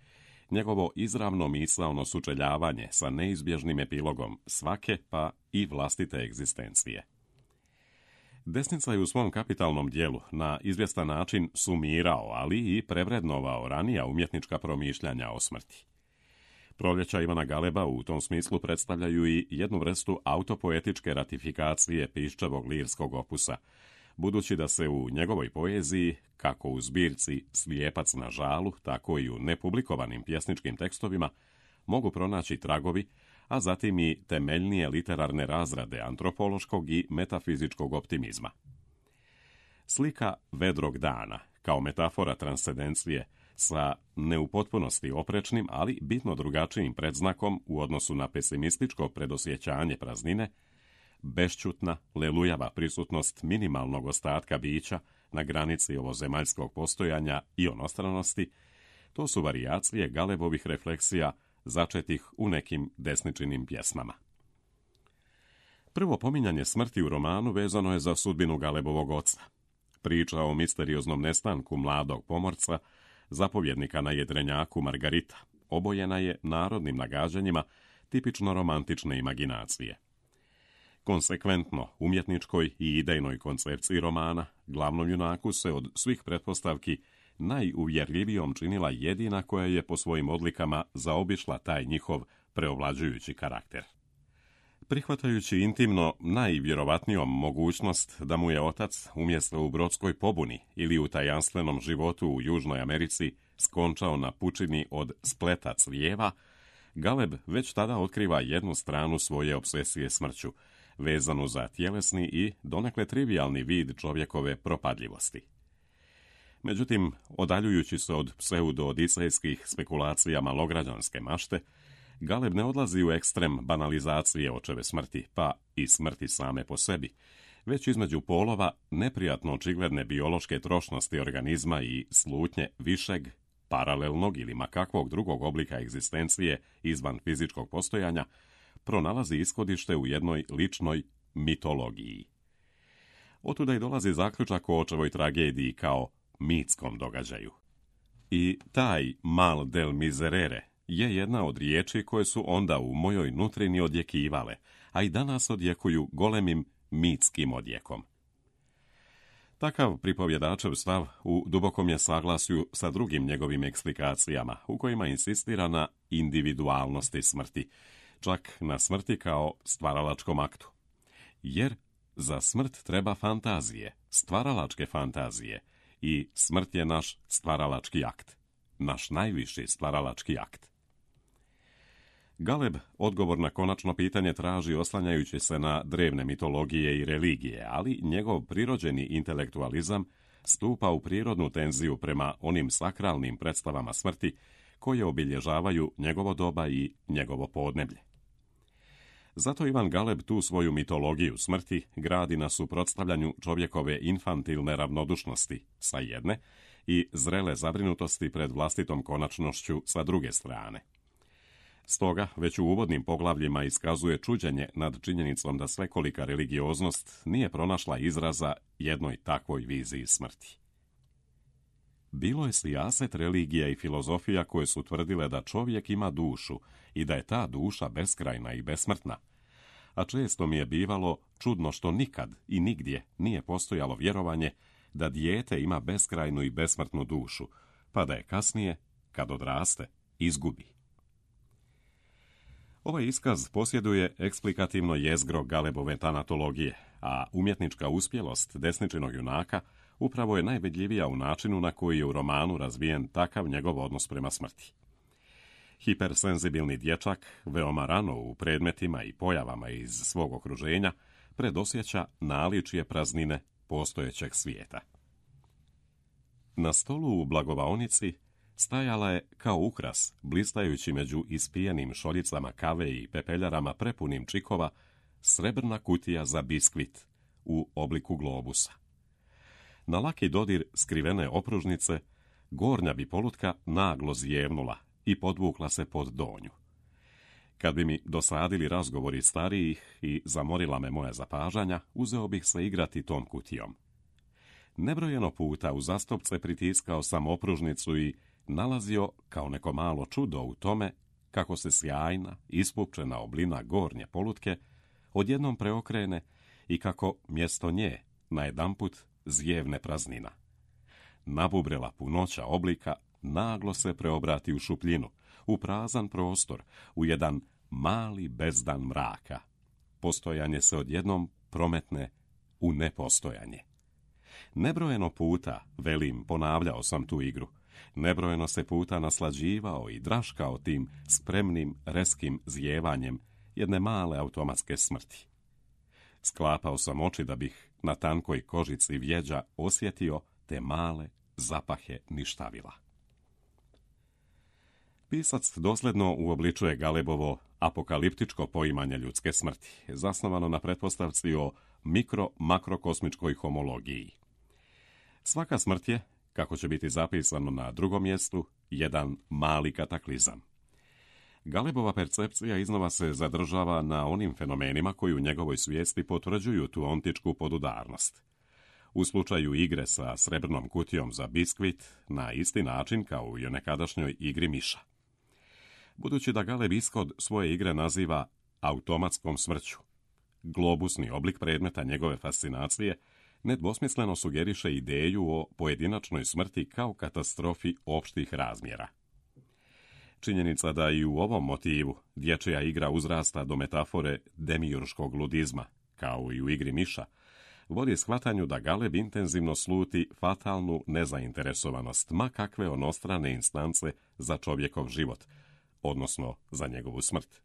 njegovo izravno misaono sučeljavanje sa neizbježnim epilogom svake pa i vlastite egzistencije. Desnica je u svom kapitalnom dijelu na izvjestan način sumirao, ali i prevrednovao ranija umjetnička promišljanja o smrti. Proljeća Ivana Galeba u tom smislu predstavljaju i jednu vrstu autopoetičke ratifikacije Piščevog lirskog opusa, budući da se u njegovoj poeziji, kako u zbirci Slijepac na žalu, tako i u nepublikovanim pjesničkim tekstovima, mogu pronaći tragovi, a zatim i temeljnije literarne razrade antropološkog i metafizičkog optimizma. Slika vedrog dana, kao metafora transcendencije, sa ne u potpunosti oprečnim, ali bitno drugačijim predznakom u odnosu na pesimističko predosjećanje praznine, bešćutna, lelujava prisutnost minimalnog ostatka bića na granici ovozemaljskog postojanja i onostranosti, to su varijacije Galebovih refleksija začetih u nekim desničinim pjesmama. Prvo pominjanje smrti u romanu vezano je za sudbinu Galebovog oca. Priča o misterioznom nestanku mladog pomorca, zapovjednika na jedrenjaku Margarita, obojena je narodnim nagađanjima tipično romantične imaginacije. Konsekventno umjetničkoj i idejnoj koncepciji romana, glavnom junaku se od svih pretpostavki najuvjerljivijom činila jedina koja je po svojim odlikama zaobišla taj njihov preovlađujući karakter. Prihvatajući intimno najvjerovatnijom mogućnost da mu je otac umjesto u brodskoj pobuni ili u tajanstvenom životu u Južnoj Americi skončao na pučini od spleta crijeva, Galeb već tada otkriva jednu stranu svoje obsesije smrću, vezanu za tjelesni i donekle trivijalni vid čovjekove propadljivosti. Međutim, odaljujući se od pseudo-odisejskih spekulacija malograđanske mašte, Galeb ne odlazi u ekstrem banalizacije očeve smrti, pa i smrti same po sebi, već između polova neprijatno očigledne biološke trošnosti organizma i slutnje višeg, paralelnog ili makakvog drugog oblika egzistencije izvan fizičkog postojanja, pronalazi ishodište u jednoj ličnoj mitologiji. Otuda i dolazi zaključak o očevoj tragediji kao mitskom događaju. I taj mal del miserere je jedna od riječi koje su onda u mojoj nutrini odjekivale, a i danas odjekuju golemim mitskim odjekom. Takav pripovjedačev stav u dubokom je saglasju sa drugim njegovim eksplikacijama, u kojima insistira na individualnosti smrti, čak na smrti kao stvaralačkom aktu. Jer za smrt treba fantazije, stvaralačke fantazije, i smrt je naš stvaralački akt, naš najviši stvaralački akt. Galeb odgovor na konačno pitanje traži oslanjajući se na drevne mitologije i religije, ali njegov prirođeni intelektualizam stupa u prirodnu tenziju prema onim sakralnim predstavama smrti koje obilježavaju njegovo doba i njegovo podneblje. Zato Ivan Galeb tu svoju mitologiju smrti gradi na suprotstavljanju čovjekove infantilne ravnodušnosti sa jedne i zrele zabrinutosti pred vlastitom konačnošću sa druge strane. Stoga, već u uvodnim poglavljima iskazuje čuđenje nad činjenicom da svekolika religioznost nije pronašla izraza jednoj takvoj viziji smrti. Bilo je sijaset religija i filozofija koje su tvrdile da čovjek ima dušu i da je ta duša beskrajna i besmrtna, a često mi je bivalo čudno što nikad i nigdje nije postojalo vjerovanje da dijete ima beskrajnu i besmrtnu dušu, pa da je kasnije, kad odraste, izgubi. Ovaj iskaz posjeduje eksplikativno jezgro Galebove tanatologije, a umjetnička uspjelost desničinog junaka upravo je najvidljivija u načinu na koji je u romanu razvijen takav njegov odnos prema smrti. Hipersenzibilni dječak, veoma rano u predmetima i pojavama iz svog okruženja, predosjeća naličje praznine postojećeg svijeta. Na stolu u blagovaonici stajala je kao ukras, blistajući među ispijenim šoljicama kave i pepeljarama prepunim čikova, srebrna kutija za biskvit u obliku globusa. Na laki dodir skrivene opružnice, gornja bi polutka naglo zjevnula i podvukla se pod donju. Kad bi mi dosadili razgovori starijih i zamorila me moja zapažanja, uzeo bih se igrati tom kutijom. Nebrojeno puta uzastopce pritiskao sam opružnicu i nalazio kao neko malo čudo u tome kako se sjajna, ispupčena oblina gornje polutke odjednom preokrene i kako mjesto nje najedanput zijevne praznina. Nabubrela punoća oblika naglo se preobrati u šupljinu, u prazan prostor, u jedan mali bezdan mraka. Postojanje se odjednom prometne u nepostojanje. Nebrojeno puta, velim, ponavljao sam tu igru. Nebrojeno se puta naslađivao i draškao tim spremnim, reskim zijevanjem jedne male automatske smrti. Sklapao sam oči da bih na tankoj kožici vjeđa osjetio te male zapahe ništavila. Pisac dosljedno uobličuje Galebovo apokaliptičko poimanje ljudske smrti, zasnovano na pretpostavci o mikro-makrokosmičkoj homologiji. Svaka smrt je, kako će biti zapisano na drugom mjestu, jedan mali kataklizam. Galebova percepcija iznova se zadržava na onim fenomenima koji u njegovoj svijesti potvrđuju tu ontičku podudarnost. U slučaju igre sa srebrnom kutijom za biskvit, na isti način kao i u nekadašnjoj igri miša. Budući da Galeb ishod svoje igre naziva automatskom smrću, globusni oblik predmeta njegove fascinacije nedvosmisleno sugeriše ideju o pojedinačnoj smrti kao katastrofi opštih razmjera. Činjenica da i u ovom motivu dječja igra uzrasta do metafore demiurškog ludizma, kao i u igri miša, vodi shvatanju da Galeb intenzivno sluti fatalnu nezainteresovanost ma kakve onostrane instance za čovjekov život, odnosno za njegovu smrt.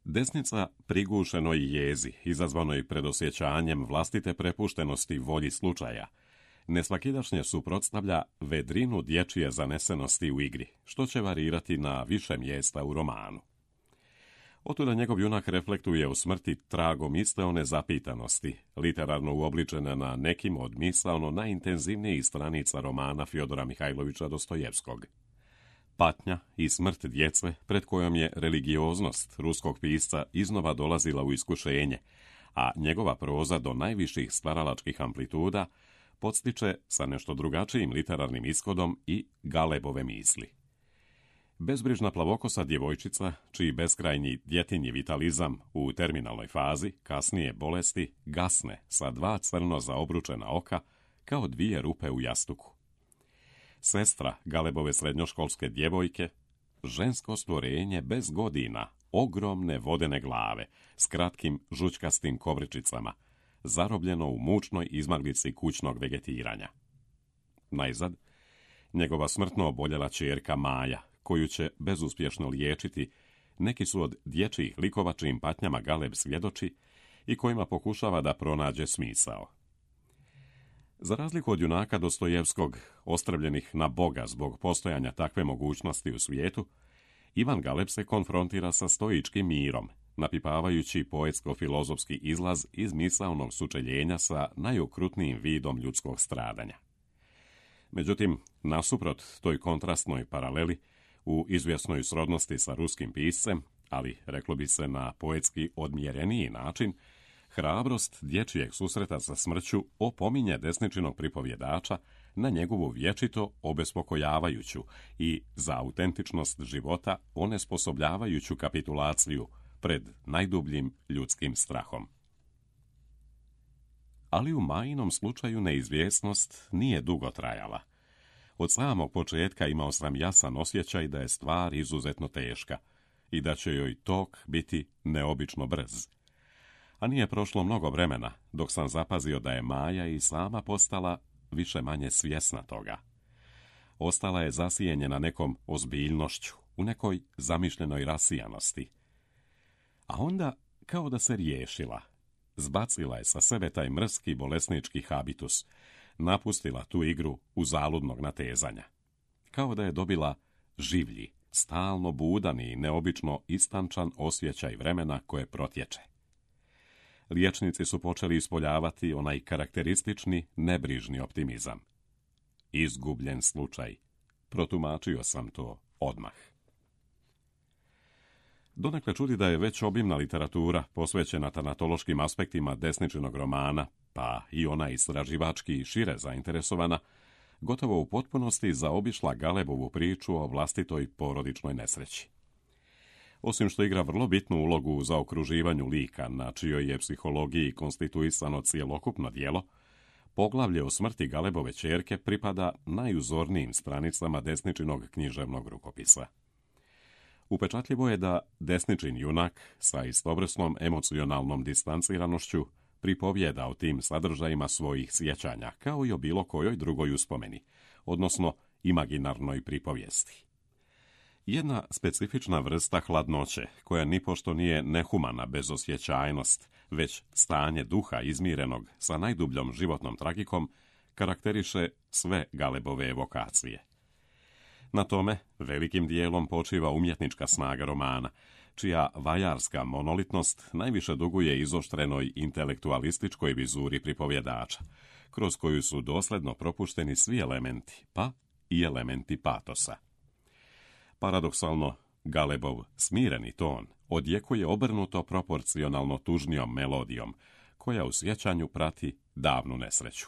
Desnica prigušenoj jezi, izazvanoj predosjećanjem vlastite prepuštenosti volji slučaja, nesvakidašnje suprotstavlja vedrinu dječje zanesenosti u igri, što će varirati na više mjesta u romanu. Otuda njegov junak reflektuje u smrti tragom iste one zapitanosti, literarno uobličene na nekim od misaono najintenzivnijih stranica romana Fjodora Mihajlovića Dostojevskog. Patnja i smrt djece pred kojom je religioznost ruskog pisca iznova dolazila u iskušenje, a njegova proza do najviših stvaralačkih amplituda podstiče sa nešto drugačijim literarnim ishodom i Galebove misli. Bezbrižna plavokosa djevojčica, čiji beskrajnji djetinji vitalizam u terminalnoj fazi, kasnije bolesti, gasne sa dva crno zaobručena oka kao dvije rupe u jastuku. Sestra Galebove srednjoškolske djevojke, žensko stvorenje bez godina, ogromne vodene glave, s kratkim žućkastim kovričicama, zarobljeno u mučnoj izmaglici kućnog vegetiranja. Najzad, njegova smrtno oboljela ćerka Maja, koju će bezuspješno liječiti, neki su od dječjih likova čijim patnjama Galeb svjedoči i kojima pokušava da pronađe smisao. Za razliku od junaka Dostojevskog, ostrvljenih na Boga zbog postojanja takve mogućnosti u svijetu, Ivan Galeb se konfrontira sa stoičkim mirom, napipavajući poetsko-filozofski izlaz iz misaonog sučeljenja sa najokrutnijim vidom ljudskog stradanja. Međutim, nasuprot toj kontrastnoj paraleli, u izvjesnoj srodnosti sa ruskim piscem, ali reklo bi se na poetski odmjereniji način, hrabrost dječjeg susreta sa smrću opominje desničinog pripovjedača na njegovu vječito obespokojavajuću i za autentičnost života onesposobljavajuću kapitulaciju pred najdubljim ljudskim strahom. Ali u Majinom slučaju neizvjesnost nije dugo trajala. Od samog početka imao sam jasan osjećaj da je stvar izuzetno teška i da će joj tok biti neobično brz. A nije prošlo mnogo vremena dok sam zapazio da je Maja i sama postala više manje svjesna toga. Ostala je zasijenjena nekom ozbiljnošću, u nekoj zamišljenoj rasijanosti. A onda, kao da se riješila, zbacila je sa sebe taj mrski bolesnički habitus, napustila tu igru uzaludnog natezanja. Kao da je dobila življi, stalno budan i neobično istančan osjećaj vremena koje protječe. Liječnici su počeli ispoljavati onaj karakteristični, nebrižni optimizam. Izgubljen slučaj. Protumačio sam to odmah. Donekle čudi da je već obimna literatura posvećena tanatološkim aspektima desničinog romana, pa i ona istraživački i šire zainteresovana, gotovo u potpunosti zaobišla Galebovu priču o vlastitoj porodičnoj nesreći. Osim što igra vrlo bitnu ulogu u zaokruživanju lika, na čijoj je psihologiji konstituisano cjelokupno djelo, Poglavlje o smrti Galebove ćerke pripada najuzornijim stranicama Desničinog književnog rukopisa. Upečatljivo je da Desničin junak sa istovrsnom emocionalnom distanciranošću pripovijeda o tim sadržajima svojih sjećanja, kao i o bilo kojoj drugoj uspomeni, odnosno imaginarnoj pripovijesti. Jedna specifična vrsta hladnoće, koja nipošto nije nehumana bezosjećajnost, već stanje duha izmirenog sa najdubljom životnom tragikom, karakteriše sve Galebove evokacije. Na tome velikim dijelom počiva umjetnička snaga romana, čija vajarska monolitnost najviše duguje izoštrenoj intelektualističkoj vizuri pripovjedača, kroz koju su dosljedno propušteni svi elementi, pa i elementi patosa. Paradoksalno, Galebov smireni ton odjekuje obrnuto proporcionalno tužnijom melodijom, koja u sjećanju prati davnu nesreću.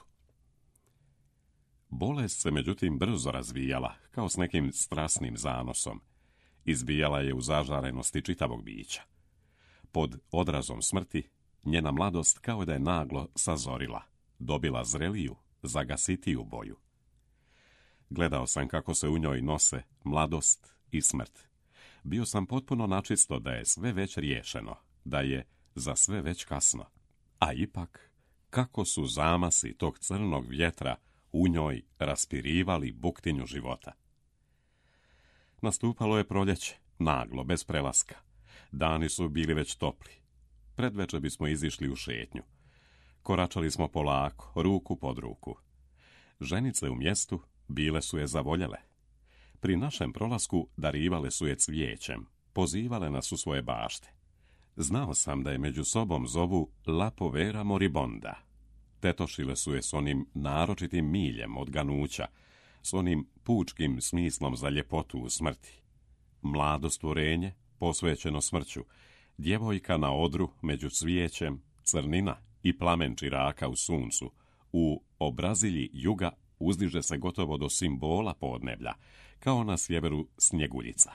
Bolest se međutim brzo razvijala, kao s nekim strasnim zanosom. Izbijala je u zažarenosti čitavog bića. Pod odrazom smrti, njena mladost kao da je naglo sazorila, dobila zreliju, zagasitiju boju. Gledao sam kako se u njoj nose mladost i smrt. Bio sam potpuno načisto da je sve već riješeno, da je za sve već kasno. A ipak, kako su zamasi tog crnog vjetra u njoj raspirivali buktinju života. Nastupalo je proljeće, naglo, bez prelaska. Dani su bili već topli. Predveče bismo izišli u šetnju. Koračali smo polako, ruku pod ruku. Ženice u mjestu bile su je zavoljele. Pri našem prolasku darivale su je cvijećem, pozivale nas u svoje bašte. Znao sam da je među sobom zovu La Povera Moribonda. Tetošile su je s onim naročitim miljem od ganuća, s onim pučkim smislom za ljepotu u smrti. Mlado stvorenje, posvećeno smrću, djevojka na odru među cvijećem, crnina i plamen čiraka u suncu, u obrazilji juga uzdiže se gotovo do simbola podneblja, kao na sjeveru Snjeguljica.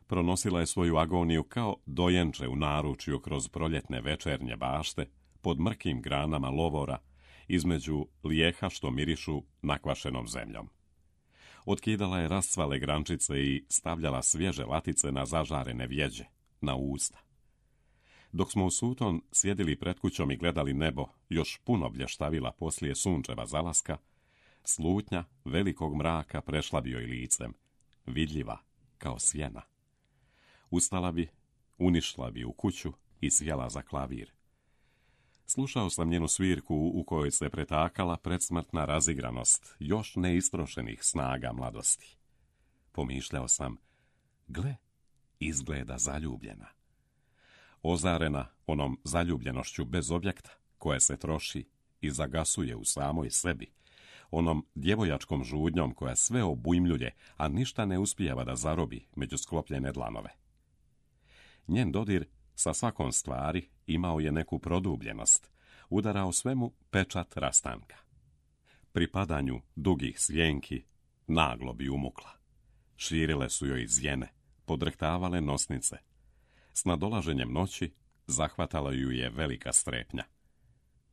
Pronosila je svoju agoniju kao dojenče u naručju kroz proljetne večernje bašte, pod mrkim granama lovora, između lijeha što mirišu nakvašenom zemljom. Otkidala je rascvale grančice i stavljala svježe latice na zažarene vjeđe, na usta. Dok smo u suton sjedili pred kućom i gledali nebo, još puno blještavila poslije sunčeva zalaska, slutnja velikog mraka prešla bi joj licem, vidljiva kao sjena. Ustala bi, unišla bi u kuću i sjela za klavir. Slušao sam njenu svirku u kojoj se pretakala predsmrtna razigranost još neistrošenih snaga mladosti. Pomišljao sam, gle, izgleda zaljubljena. Ozarena onom zaljubljenošću bez objekta, koja se troši i zagasuje u samoj sebi, onom djevojačkom žudnjom koja sve obujmljuje, a ništa ne uspijeva da zarobi među sklopljene dlanove. Njen dodir sa svakom stvari imao je neku produbljenost, udarao svemu pečat rastanka. Pri padanju dugih svjenki naglo bi umukla. Širile su joj zjene, podrhtavale nosnice. S nadolaženjem noći zahvatala ju je velika strepnja.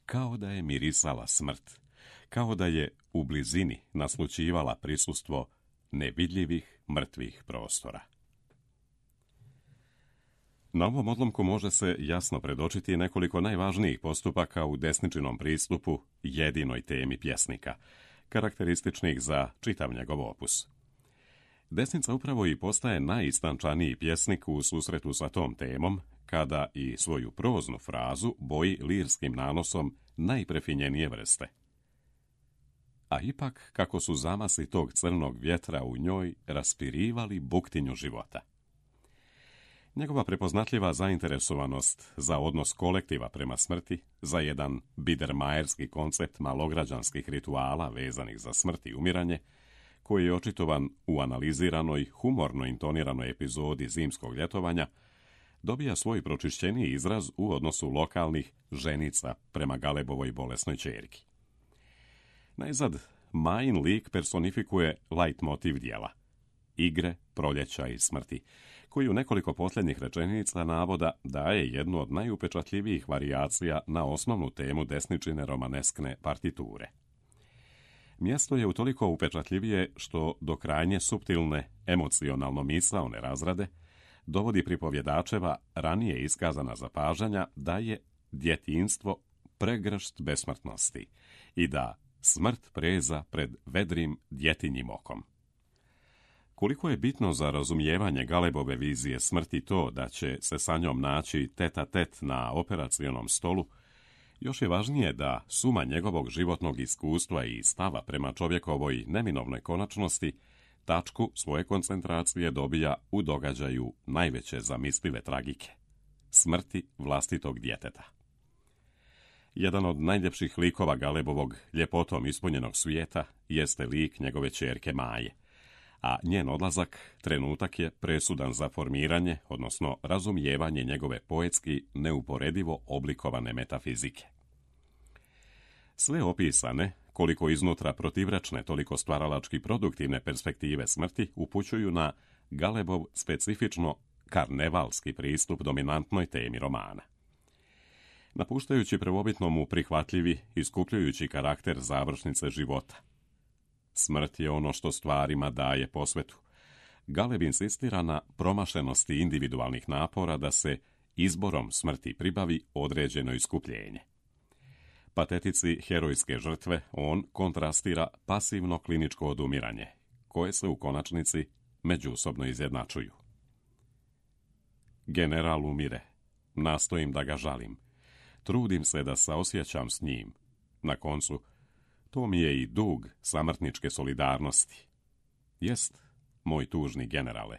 Kao da je mirisala smrt, kao da je u blizini naslućivala prisustvo nevidljivih mrtvih prostora. Na ovom odlomku može se jasno predočiti nekoliko najvažnijih postupaka u Desničinom pristupu jedinoj temi pjesnika, karakterističnih za čitav njegov opus. Desnica upravo i postaje najistančaniji pjesnik u susretu sa tom temom, kada i svoju proznu frazu boji lirskim nanosom najprefinjenije vrste. A ipak, kako su zamasi tog crnog vjetra u njoj raspirivali buktinju života. Njegova prepoznatljiva zainteresovanost za odnos kolektiva prema smrti, za jedan bidermajerski koncept malograđanskih rituala vezanih za smrt i umiranje, koji je očitovan u analiziranoj, humorno intoniranoj epizodi zimskog ljetovanja, dobija svoj pročišćeniji izraz u odnosu lokalnih ženica prema Galebovoj bolesnoj ćerki. Najzad, Majin lik personifikuje leitmotiv dijela, igre, proljeća i smrti, koji u nekoliko posljednjih rečenica navoda daje jednu od najupečatljivijih varijacija na osnovnu temu desničine romaneskne partiture. Mjesto je utoliko upečatljivije što do krajnje suptilne, emocionalno misaone razrade dovodi pripovjedačeva ranije iskazana zapažanja da je djetinjstvo pregršt besmrtnosti i da smrt preza pred vedrim djetinjim okom. Koliko je bitno za razumijevanje Galebove vizije smrti to da će se sa njom naći tet-a-tet na operacionom stolu, još je važnije da suma njegovog životnog iskustva i stava prema čovjekovoj neminovnoj konačnosti tačku svoje koncentracije dobija u događaju najveće zamislive tragike – smrti vlastitog djeteta. Jedan od najljepših likova Galebovog ljepotom ispunjenog svijeta jeste lik njegove ćerke Maje, a njen odlazak trenutak je presudan za formiranje, odnosno razumijevanje njegove poetski neuporedivo oblikovane metafizike. Sve opisane, koliko iznutra protivrečne, toliko stvaralački produktivne perspektive smrti upućuju na Galebov specifično karnevalski pristup dominantnoj temi romana. Napuštajući prvobitno mu prihvatljivi, iskupljujući karakter završnice života. Smrt je ono što stvarima daje posvetu. Galeb insistira na promašenosti individualnih napora da se izborom smrti pribavi određeno iskupljenje. Patetici herojske žrtve on kontrastira pasivno kliničko odumiranje, koje se u konačnici međusobno izjednačuju. General umire, nastojim da ga žalim, trudim se da saosjećam s njim. Na koncu, to mi je i dug samrtničke solidarnosti. Jest, moj tužni generale,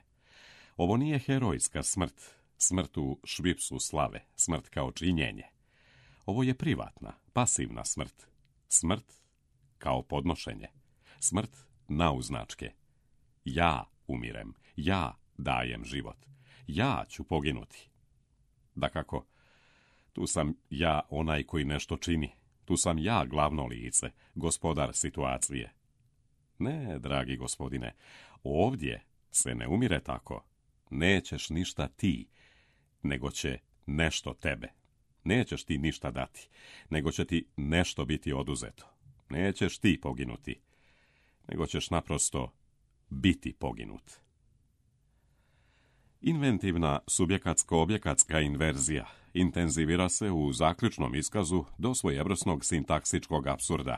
ovo nije herojska smrt, smrt u švipsu slave, smrt kao činjenje. Ovo je privatna, pasivna smrt, smrt kao podnošenje, smrt nauznačke. Ja umirem, ja dajem život, ja ću poginuti. Dakako, tu sam ja onaj koji nešto čini, tu sam ja glavno lice, gospodar situacije. Ne, dragi gospodine, ovdje se ne umire tako. Nećeš ništa ti, nego će nešto tebe. Nećeš ti ništa dati, nego će ti nešto biti oduzeto. Nećeš ti poginuti, nego ćeš naprosto biti poginut. Inventivna subjekatsko-objekatska inverzija intenzivira se u zaključnom iskazu do svojevrsnog sintaksičkog apsurda,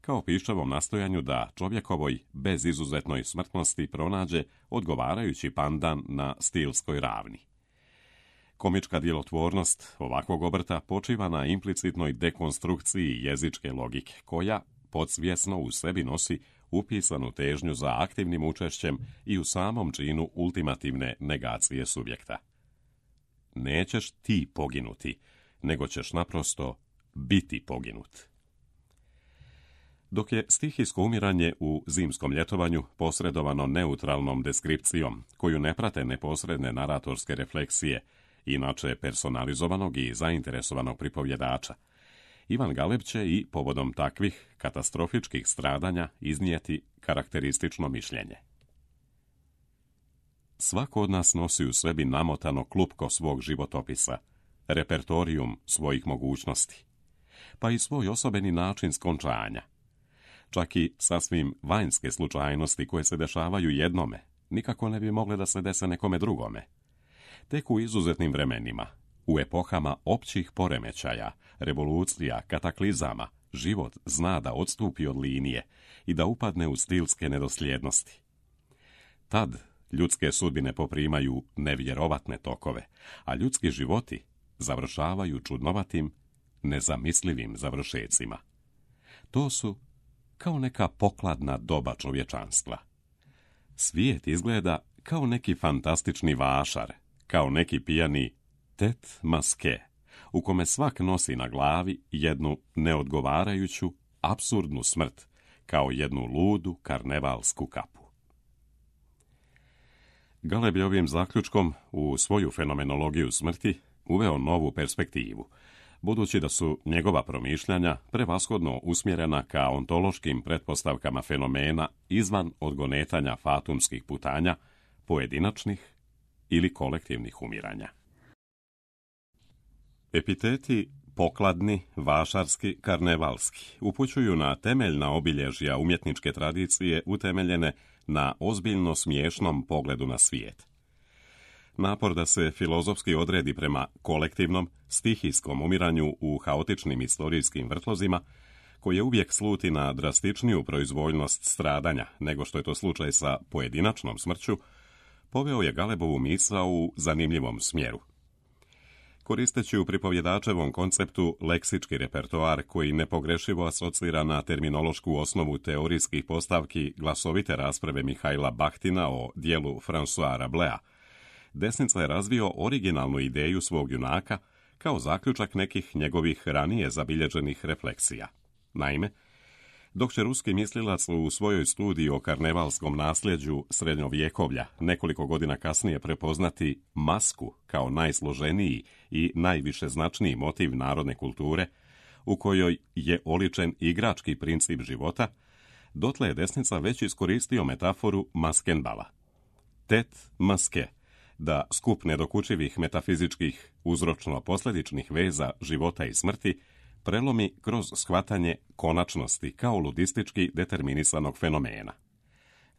kao piščavom nastojanju da čovjekovoj bezizuzetnoj smrtnosti pronađe odgovarajući pandan na stilskoj ravni. Komička djelotvornost ovakvog obrta počiva na implicitnoj dekonstrukciji jezičke logike, koja podsvjesno u sebi nosi upisanu težnju za aktivnim učešćem i u samom činu ultimativne negacije subjekta. Nećeš ti poginuti, nego ćeš naprosto biti poginut. Dok je stihijsko umiranje u zimskom ljetovanju posredovano neutralnom deskripcijom, koju ne prate neposredne naratorske refleksije, inače personalizovanog i zainteresovanog pripovjedača, Ivan Galeb će i povodom takvih katastrofičkih stradanja iznijeti karakteristično mišljenje. Svako od nas nosi u sebi namotano klupko svog životopisa, repertorijum svojih mogućnosti, pa i svoj osobeni način skončanja. Čak i sasvim vanjske slučajnosti koje se dešavaju jednome, nikako ne bi mogle da se dese nekome drugome. Tek u izuzetnim vremenima, u epohama općih poremećaja, revolucija, kataklizama, život zna da odstupi od linije i da upadne u stilske nedosljednosti. Tad ljudske sudbine poprimaju nevjerovatne tokove, a ljudski životi završavaju čudnovatim, nezamislivim završecima. To su kao neka pokladna doba čovječanstva. Svijet izgleda kao neki fantastični vašar, kao neki pijani tet maske, u kome svak nosi na glavi jednu neodgovarajuću, apsurdnu smrt, kao jednu ludu karnevalsku kapu. Galeb je ovim zaključkom u svoju fenomenologiju smrti uveo novu perspektivu, budući da su njegova promišljanja prevashodno usmjerena ka ontološkim pretpostavkama fenomena izvan odgonetanja fatumskih putanja, pojedinačnih ili kolektivnih umiranja. Epiteti pokladni, vašarski, karnevalski upućuju na temeljna obilježja umjetničke tradicije utemeljene na ozbiljno smiješnom pogledu na svijet. Napor da se filozofski odredi prema kolektivnom, stihijskom umiranju u haotičnim istorijskim vrtlozima, koje uvijek sluti na drastičniju proizvoljnost stradanja nego što je to slučaj sa pojedinačnom smrću, poveo je Galebovu misao u zanimljivom smjeru. Koristeći u pripovjedačevom konceptu leksički repertoar koji nepogrešivo asocira na terminološku osnovu teorijskih postavki glasovite rasprave Mihajla Bahtina o dijelu François Rabelais, Desnica je razvio originalnu ideju svog junaka kao zaključak nekih njegovih ranije zabilježenih refleksija. Naime, dok će ruski mislilac u svojoj studiji o karnevalskom nasljeđu srednjovjekovlja nekoliko godina kasnije prepoznati masku kao najsloženiji i najviše značniji motiv narodne kulture, u kojoj je oličen igrački princip života, dotle je desnica već iskoristio metaforu maskenbala. Tet maske, da skup nedokučivih metafizičkih uzročno-posljedičnih veza života i smrti prelomi kroz shvatanje konačnosti kao ludistički determinisanog fenomena.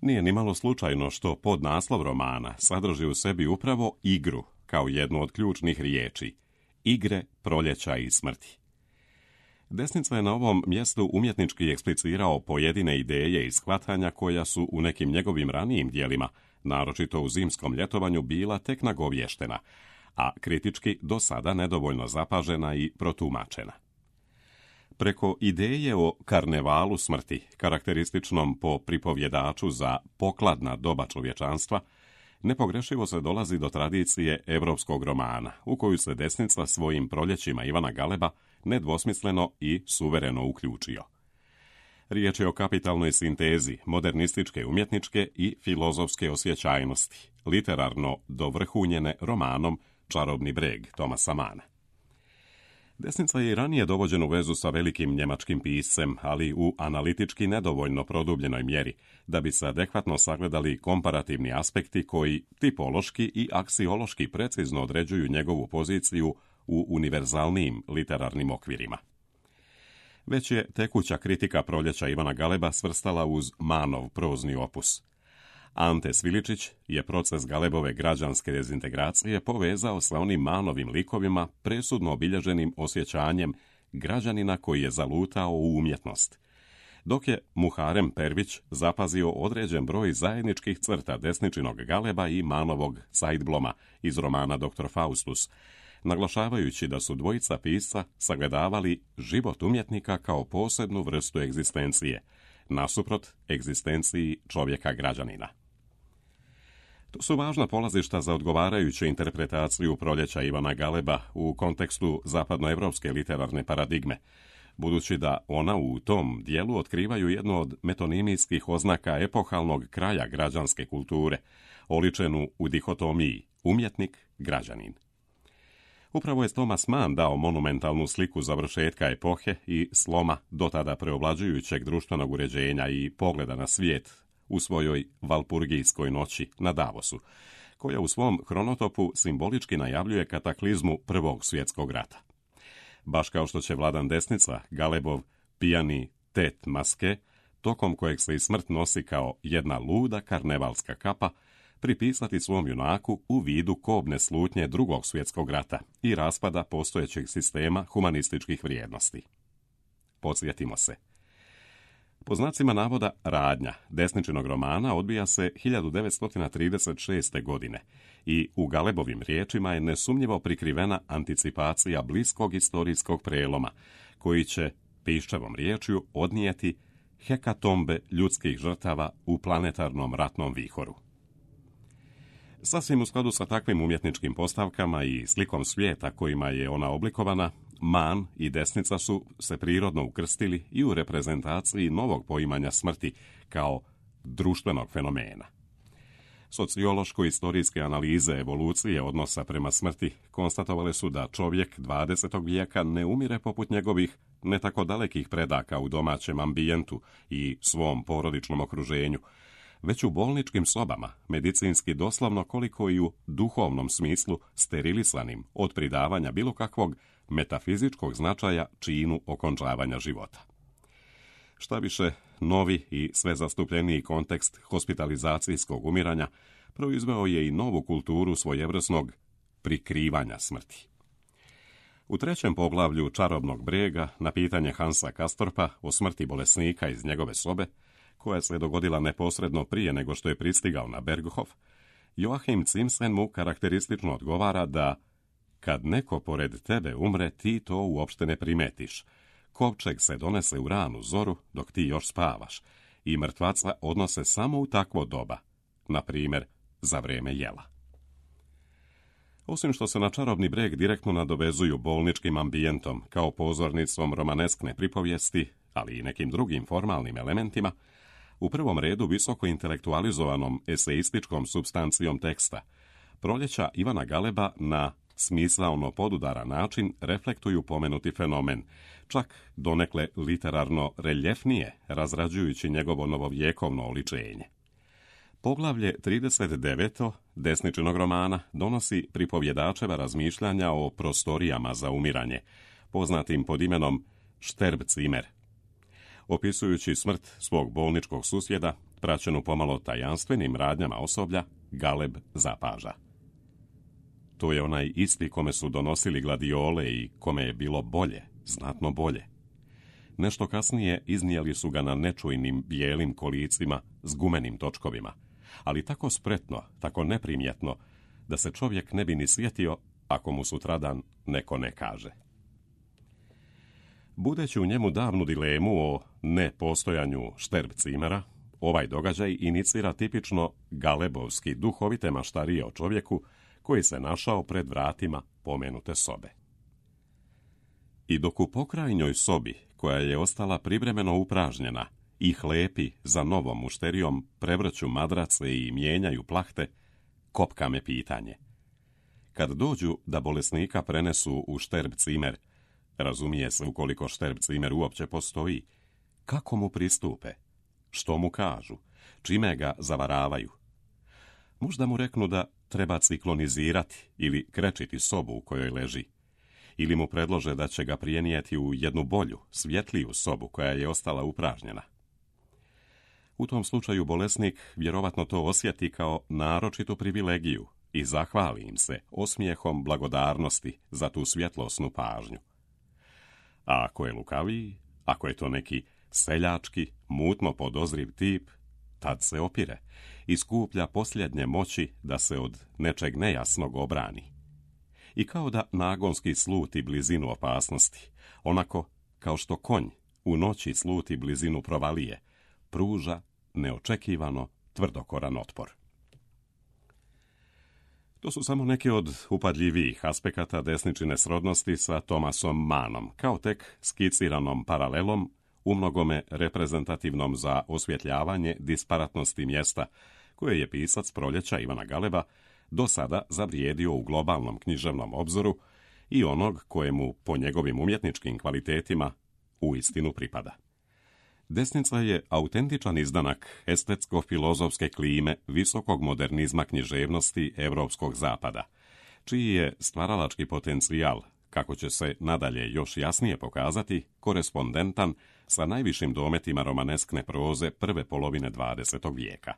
Nije nimalo slučajno što podnaslov romana sadrži u sebi upravo igru kao jednu od ključnih riječi, igre, proljeća i smrti. Desnica je na ovom mjestu umjetnički eksplicirao pojedine ideje i shvatanja koja su u nekim njegovim ranijim dijelima, naročito u Zimskom ljetovanju, bila tek nagovještena, a kritički do sada nedovoljno zapažena i protumačena. Preko ideje o karnevalu smrti, karakterističnom po pripovjedaču za pokladna doba čovječanstva, nepogrešivo se dolazi do tradicije europskog romana, u koju se desnica svojim proljećima Ivana Galeba nedvosmisleno i suvereno uključio. Riječ je o kapitalnoj sintezi modernističke umjetničke i filozofske osjećajnosti, literarno dovrhunjene romanom Čarobni breg Thomasa Manna. Desnica je i ranije dovođen u vezu sa velikim njemačkim piscem, ali u analitički nedovoljno produbljenoj mjeri, da bi se adekvatno sagledali komparativni aspekti koji tipološki i aksiološki precizno određuju njegovu poziciju u univerzalnijim literarnim okvirima. Već je tekuća kritika proljeća Ivana Galeba svrstala uz Manov prozni opus. Ante Sviličić je proces Galebove građanske dezintegracije povezao sa onim Manovim likovima presudno obilježenim osjećanjem građanina koji je zalutao u umjetnost, dok je Muharem Pervić zapazio određen broj zajedničkih crta desničinog Galeba i Manovog Saidbloma iz romana Dr. Faustus, naglašavajući da su dvojica pisca sagledavali život umjetnika kao posebnu vrstu egzistencije, nasuprot egzistenciji čovjeka građanina. To su važna polazišta za odgovarajuću interpretaciju proljeća Ivana Galeba u kontekstu zapadnoevropske literarne paradigme, budući da ona u tom dijelu otkrivaju jednu od metonimijskih oznaka epohalnog kraja građanske kulture, oličenu u dihotomiji umjetnik-građanin. Upravo je Thomas Mann dao monumentalnu sliku završetka epohe i sloma dotada preovlađujućeg društvenog uređenja i pogleda na svijet u svojoj Valpurgijskoj noći na Davosu, koja u svom hronotopu simbolički najavljuje kataklizmu Prvog svjetskog rata. Baš kao što će Vladan Desnica, Galebov pijani tet maske, tokom kojeg se i smrt nosi kao jedna luda karnevalska kapa, pripisati svom junaku u vidu kobne slutnje Drugog svjetskog rata i raspada postojećeg sistema humanističkih vrijednosti. Podsjetimo se. Po znacima navoda radnja desničinog romana odbija se 1936. godine i u Galebovim riječima je nesumnjivo prikrivena anticipacija bliskog istorijskog preloma, koji će, piščevom riječju, odnijeti hekatombe ljudskih žrtava u planetarnom ratnom vihoru. Sasvim u skladu sa takvim umjetničkim postavkama i slikom svijeta kojima je ona oblikovana, Mann i desnica su se prirodno ukrstili i u reprezentaciji novog poimanja smrti kao društvenog fenomena. Sociološko-istorijske analize evolucije odnosa prema smrti konstatovale su da čovjek 20. vijeka ne umire poput njegovih ne tako dalekih predaka u domaćem ambijentu i svom porodičnom okruženju, već u bolničkim sobama, medicinski doslovno koliko i u duhovnom smislu sterilisanim od pridavanja bilo kakvog metafizičkog značaja činu okončavanja života. Šta više, novi i sve zastupljeniji kontekst hospitalizacijskog umiranja proizveo je i novu kulturu svojevrsnog prikrivanja smrti. U 3. poglavlju Čarobnog brega na pitanje Hansa Castorpa o smrti bolesnika iz njegove sobe, koja se dogodila neposredno prije nego što je pristigao na Berghof, Joachim Zimsen mu karakteristično odgovara da kad neko pored tebe umre, ti to uopšte ne primetiš. Kovčeg se donese u ranu zoru dok ti još spavaš i mrtvaca odnose samo u takvo doba, na primjer za vrijeme jela. Osim što se na Čarobni breg direktno nadovezuju bolničkim ambijentom kao pozornicom romaneskne pripovijesti, ali i nekim drugim formalnim elementima, u prvom redu visoko intelektualizovanom eseističkom supstancijom teksta, Proljeća Ivana Galeba na smisaono podudaran način reflektuju pomenuti fenomen, čak donekle literarno reljefnije razrađujući njegovo novovjekovno oličenje. Poglavlje 39. Desničinog romana donosi pripovjedačeva razmišljanja o prostorijama za umiranje, poznatim pod imenom Sterbzimmer. Opisujući smrt svog bolničkog susjeda, praćenu pomalo tajanstvenim radnjama osoblja, Galeb zapaža. To je onaj isti kome su donosili gladiole i kome je bilo bolje, znatno bolje. Nešto kasnije iznijeli su ga na nečujnim bijelim kolicima s gumenim točkovima, ali tako spretno, tako neprimjetno, da se čovjek ne bi ni sjetio ako mu sutradan neko ne kaže. Budeći u njemu davnu dilemu o nepostojanju Sterbzimmera, ovaj događaj inicira tipično galebovski duhovite maštarije o čovjeku koji se našao pred vratima pomenute sobe. I dok u pokrajnjoj sobi, koja je ostala privremeno upražnjena, i hlepi za novom mušterijom prevrću madrace i mijenjaju plahte, kopka me pitanje. Kad dođu da bolesnika prenesu u Sterbzimmer, razumije se ukoliko Sterbzimmer uopće postoji, kako mu pristupe, što mu kažu, čime ga zavaravaju. Možda mu reknu da treba ciklonizirati ili krečiti sobu u kojoj leži, ili mu predlože da će ga prijenijeti u jednu bolju, svjetliju sobu koja je ostala upražnjena. U tom slučaju bolesnik vjerovatno to osjeti kao naročitu privilegiju i zahvali im se osmijehom blagodarnosti za tu svjetlosnu pažnju. A ako je lukaviji, ako je to neki seljački, mutno podozriv tip, tad se opire i skuplja posljednje moći da se od nečeg nejasnog obrani. I kao da nagonski sluti blizinu opasnosti, onako kao što konj u noći sluti blizinu provalije, pruža neočekivano tvrdokoran otpor. To su samo neki od upadljivijih aspekata desničine srodnosti sa Thomasom Mannom, kao tek skiciranom paralelom, umnogome reprezentativnom za osvjetljavanje disparatnosti mjesta, koje je pisac Proljeća Ivana Galeba do sada zavrijedio u globalnom književnom obzoru i onog kojemu po njegovim umjetničkim kvalitetima uistinu pripada. Desnica je autentičan izdanak estetsko-filozofske klime visokog modernizma književnosti Europskog zapada, čiji je stvaralački potencijal, kako će se nadalje još jasnije pokazati, korespondentan sa najvišim dometima romaneskne proze prve polovine 20. vijeka.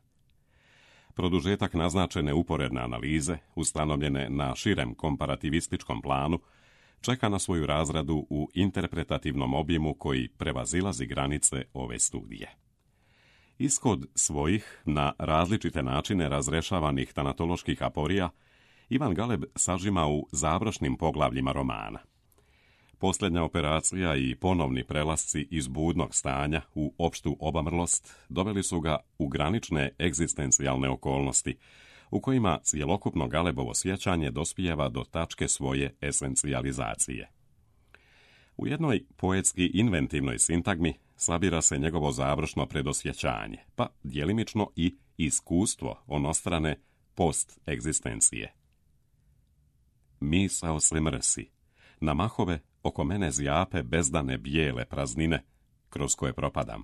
Produžetak naznačene uporedne analize, ustanovljene na širem komparativističkom planu, čeka na svoju razradu u interpretativnom objemu koji prevazilazi granice ove studije. Ishod svojih, na različite načine razrešavanih tanatoloških aporija, Ivan Galeb sažima u završnim poglavljima romana. Posljednja operacija i ponovni prelasci iz budnog stanja u opštu obamrlost doveli su ga u granične egzistencijalne okolnosti, u kojima cjelokupno Galebovo sjećanje dospijeva do tačke svoje esencijalizacije. U jednoj poetski inventivnoj sintagmi sabira se njegovo završno predosjećanje, pa djelimično i iskustvo onostrane post-egzistencije. Misao se mrsi, na mahove oko mene zjape bezdane bijele praznine, kroz koje propadam.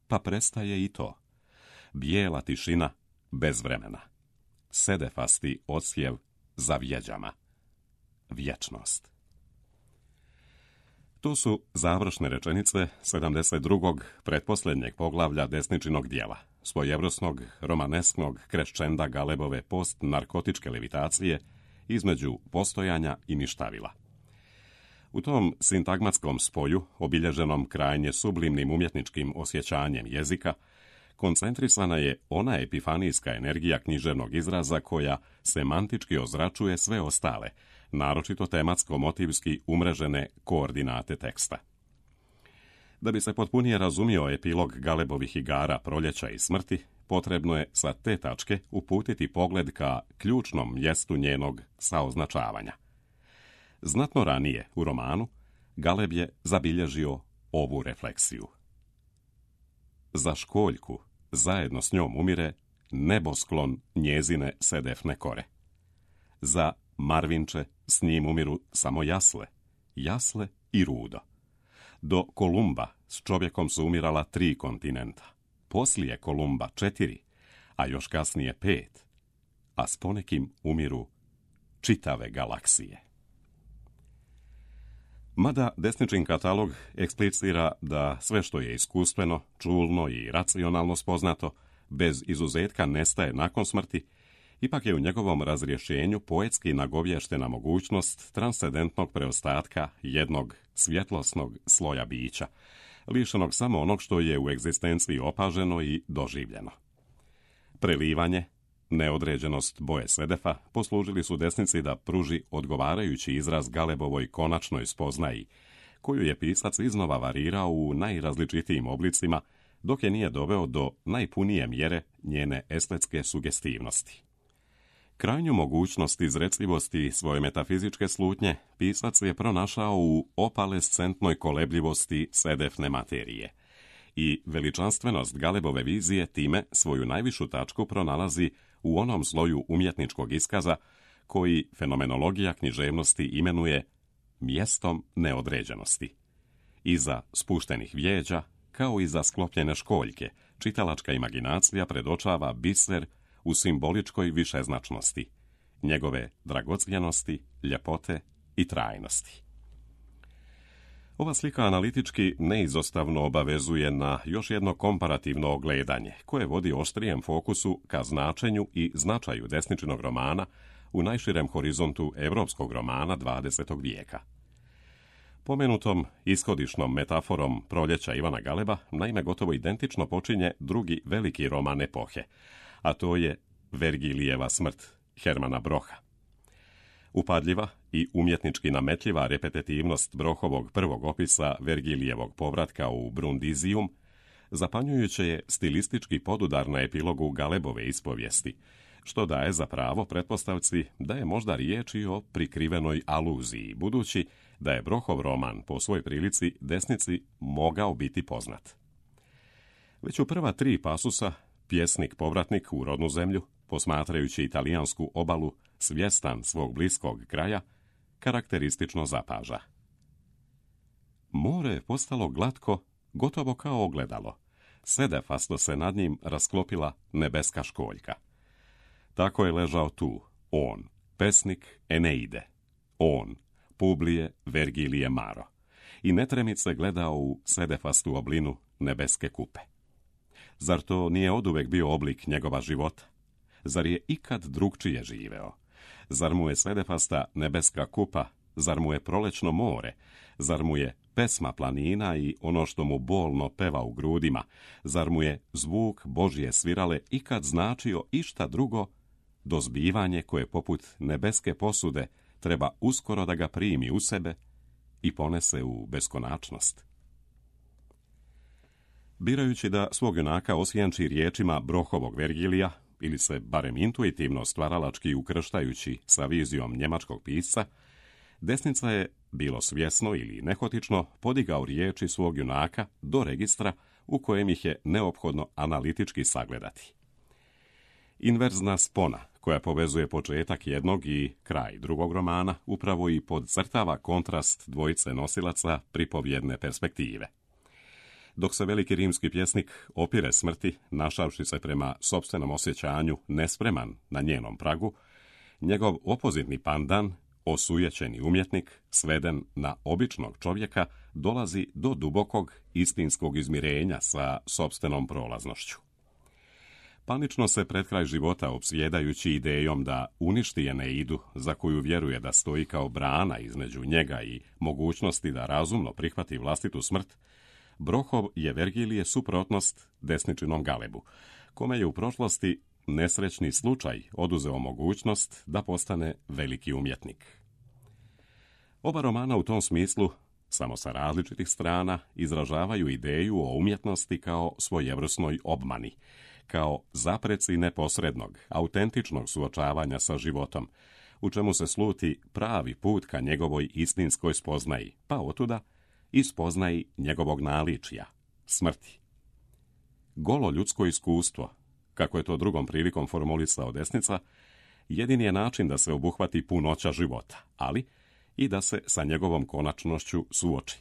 Pa prestaje i to. bijela tišina bez vremena, sedefasti odsjev za vjeđama, vječnost. To su završne rečenice 72. pretposljednjeg poglavlja desničinog dijela, svojevrsnog romanesknog kreščenda Galebove post-narkotičke levitacije između postojanja i ništavila. U tom sintagmatskom spoju, obilježenom krajnje sublimnim umjetničkim osjećanjem jezika, koncentrisana je ona epifanijska energija književnog izraza koja semantički ozračuje sve ostale, naročito tematsko-motivski umrežene koordinate teksta. Da bi se potpunije razumio epilog Galebovih igara proljeća i smrti, potrebno je sa te tačke uputiti pogled ka ključnom mjestu njenog saoznačavanja. Znatno ranije u romanu Galeb je zabilježio ovu refleksiju. Za školjku zajedno s njom umire nebosklon njezine sedefne kore. Za Marvinče s njim umiru samo jasle i rudo. Do Kolumba s čovjekom su umirala 3 kontinenta, poslije Kolumba 4, a još kasnije 5, a s ponekim umiru čitave galaksije. Mada desničin katalog eksplicira da sve što je iskustveno, čulno i racionalno spoznato, bez izuzetka nestaje nakon smrti, ipak je u njegovom razrješenju poetski nagovještena mogućnost transcendentnog preostatka jednog svjetlosnog sloja bića, lišenog samo onog što je u egzistenciji opaženo i doživljeno. Prelivanje, neodređenost boje sedefa poslužili su desnici da pruži odgovarajući izraz Galebovoj konačnoj spoznaji, koju je pisac iznova varirao u najrazličitijim oblicima, dok je nije doveo do najpunije mjere njene estetske sugestivnosti. Krajnju mogućnost izrecivosti svoje metafizičke slutnje pisac je pronašao u opalescentnoj kolebljivosti sedefne materije i veličanstvenost Galebove vizije time svoju najvišu tačku pronalazi u onom sloju umjetničkog iskaza koji fenomenologija književnosti imenuje mjestom neodređenosti. Iza spuštenih vijeđa, kao i za sklopljene školjke, čitalačka imaginacija predočava biser u simboličkoj višeznačnosti, njegove dragocjenosti, ljepote i trajnosti. Ova slika analitički neizostavno obavezuje na još jedno komparativno ogledanje, koje vodi oštrijem fokusu ka značenju i značaju desničinog romana u najširem horizontu europskog romana 20. vijeka. Pomenutom ishodišnom metaforom proljeća Ivana Galeba naime gotovo identično počinje drugi veliki roman epohe, a to je Vergilijeva smrt Hermana Brocha. Upadljiva i umjetnički nametljiva repetitivnost Brochovog prvog opisa Vergilijevog povratka u Brundisium zapanjujuće je stilistički podudar na epilogu Galebove ispovijesti, što daje za pravo pretpostavci da je možda riječ i o prikrivenoj aluziji, budući da je Brochov roman po svoj prilici desnici mogao biti poznat. Već u prva 3 pasusa pjesnik povratnik u rodnu zemlju, posmatrajući italijansku obalu, svjestan svog bliskog kraja, karakteristično zapaža. More je postalo glatko, gotovo kao ogledalo. Sedefasto se nad njim rasklopila nebeska školjka. Tako je ležao tu, on, pesnik Eneide, on, Publije Vergilije Maro, i netremice gledao u sedefastu oblinu nebeske kupe. Zar to nije oduvek bio oblik njegova života? Zar je ikad drugčije živeo? Zar mu je sedefasta nebeska kupa? Zar mu je prolećno more? Zar mu je pesma planina i ono što mu bolno peva u grudima? Zar mu je zvuk Božje svirale ikad značio išta drugo do zbivanje koje poput nebeske posude treba uskoro da ga primi u sebe i ponese u beskonačnost? Birajući da svog junaka osjenči riječima Brochovog Vergilija, ili se barem intuitivno stvaralački ukrštajući sa vizijom njemačkog pisca, desnica je, bilo svjesno ili nehotično, podigao riječi svog junaka do registra u kojem ih je neophodno analitički sagledati. Inverzna spona, koja povezuje početak jednog i kraj drugog romana, upravo i podcrtava kontrast dvojice nosilaca pripovjedne perspektive. Dok se veliki rimski pjesnik opire smrti, našavši se prema sopstvenom osjećanju nespreman na njenom pragu, njegov opozitni pandan, osujećeni umjetnik, sveden na običnog čovjeka, dolazi do dubokog istinskog izmirenja sa sopstvenom prolaznošću. Panično se pred kraj života opsjedajući idejom da uništi Eneidu, za koju vjeruje da stoji kao brana između njega i mogućnosti da razumno prihvati vlastitu smrt, Brohov je Vergilije suprotnost desničinom Galebu, kome je u prošlosti nesrećni slučaj oduzeo mogućnost da postane veliki umjetnik. Oba romana u tom smislu, samo sa različitih strana, izražavaju ideju o umjetnosti kao svojevrsnoj obmani, kao zapreci neposrednog, autentičnog suočavanja sa životom, u čemu se sluti pravi put ka njegovoj istinskoj spoznaji, pa otuda i spoznaji njegovog naličja, smrti. Golo ljudsko iskustvo, kako je to drugom prilikom formulisao Desnica, jedini je način da se obuhvati punoća života, ali i da se sa njegovom konačnošću suoči.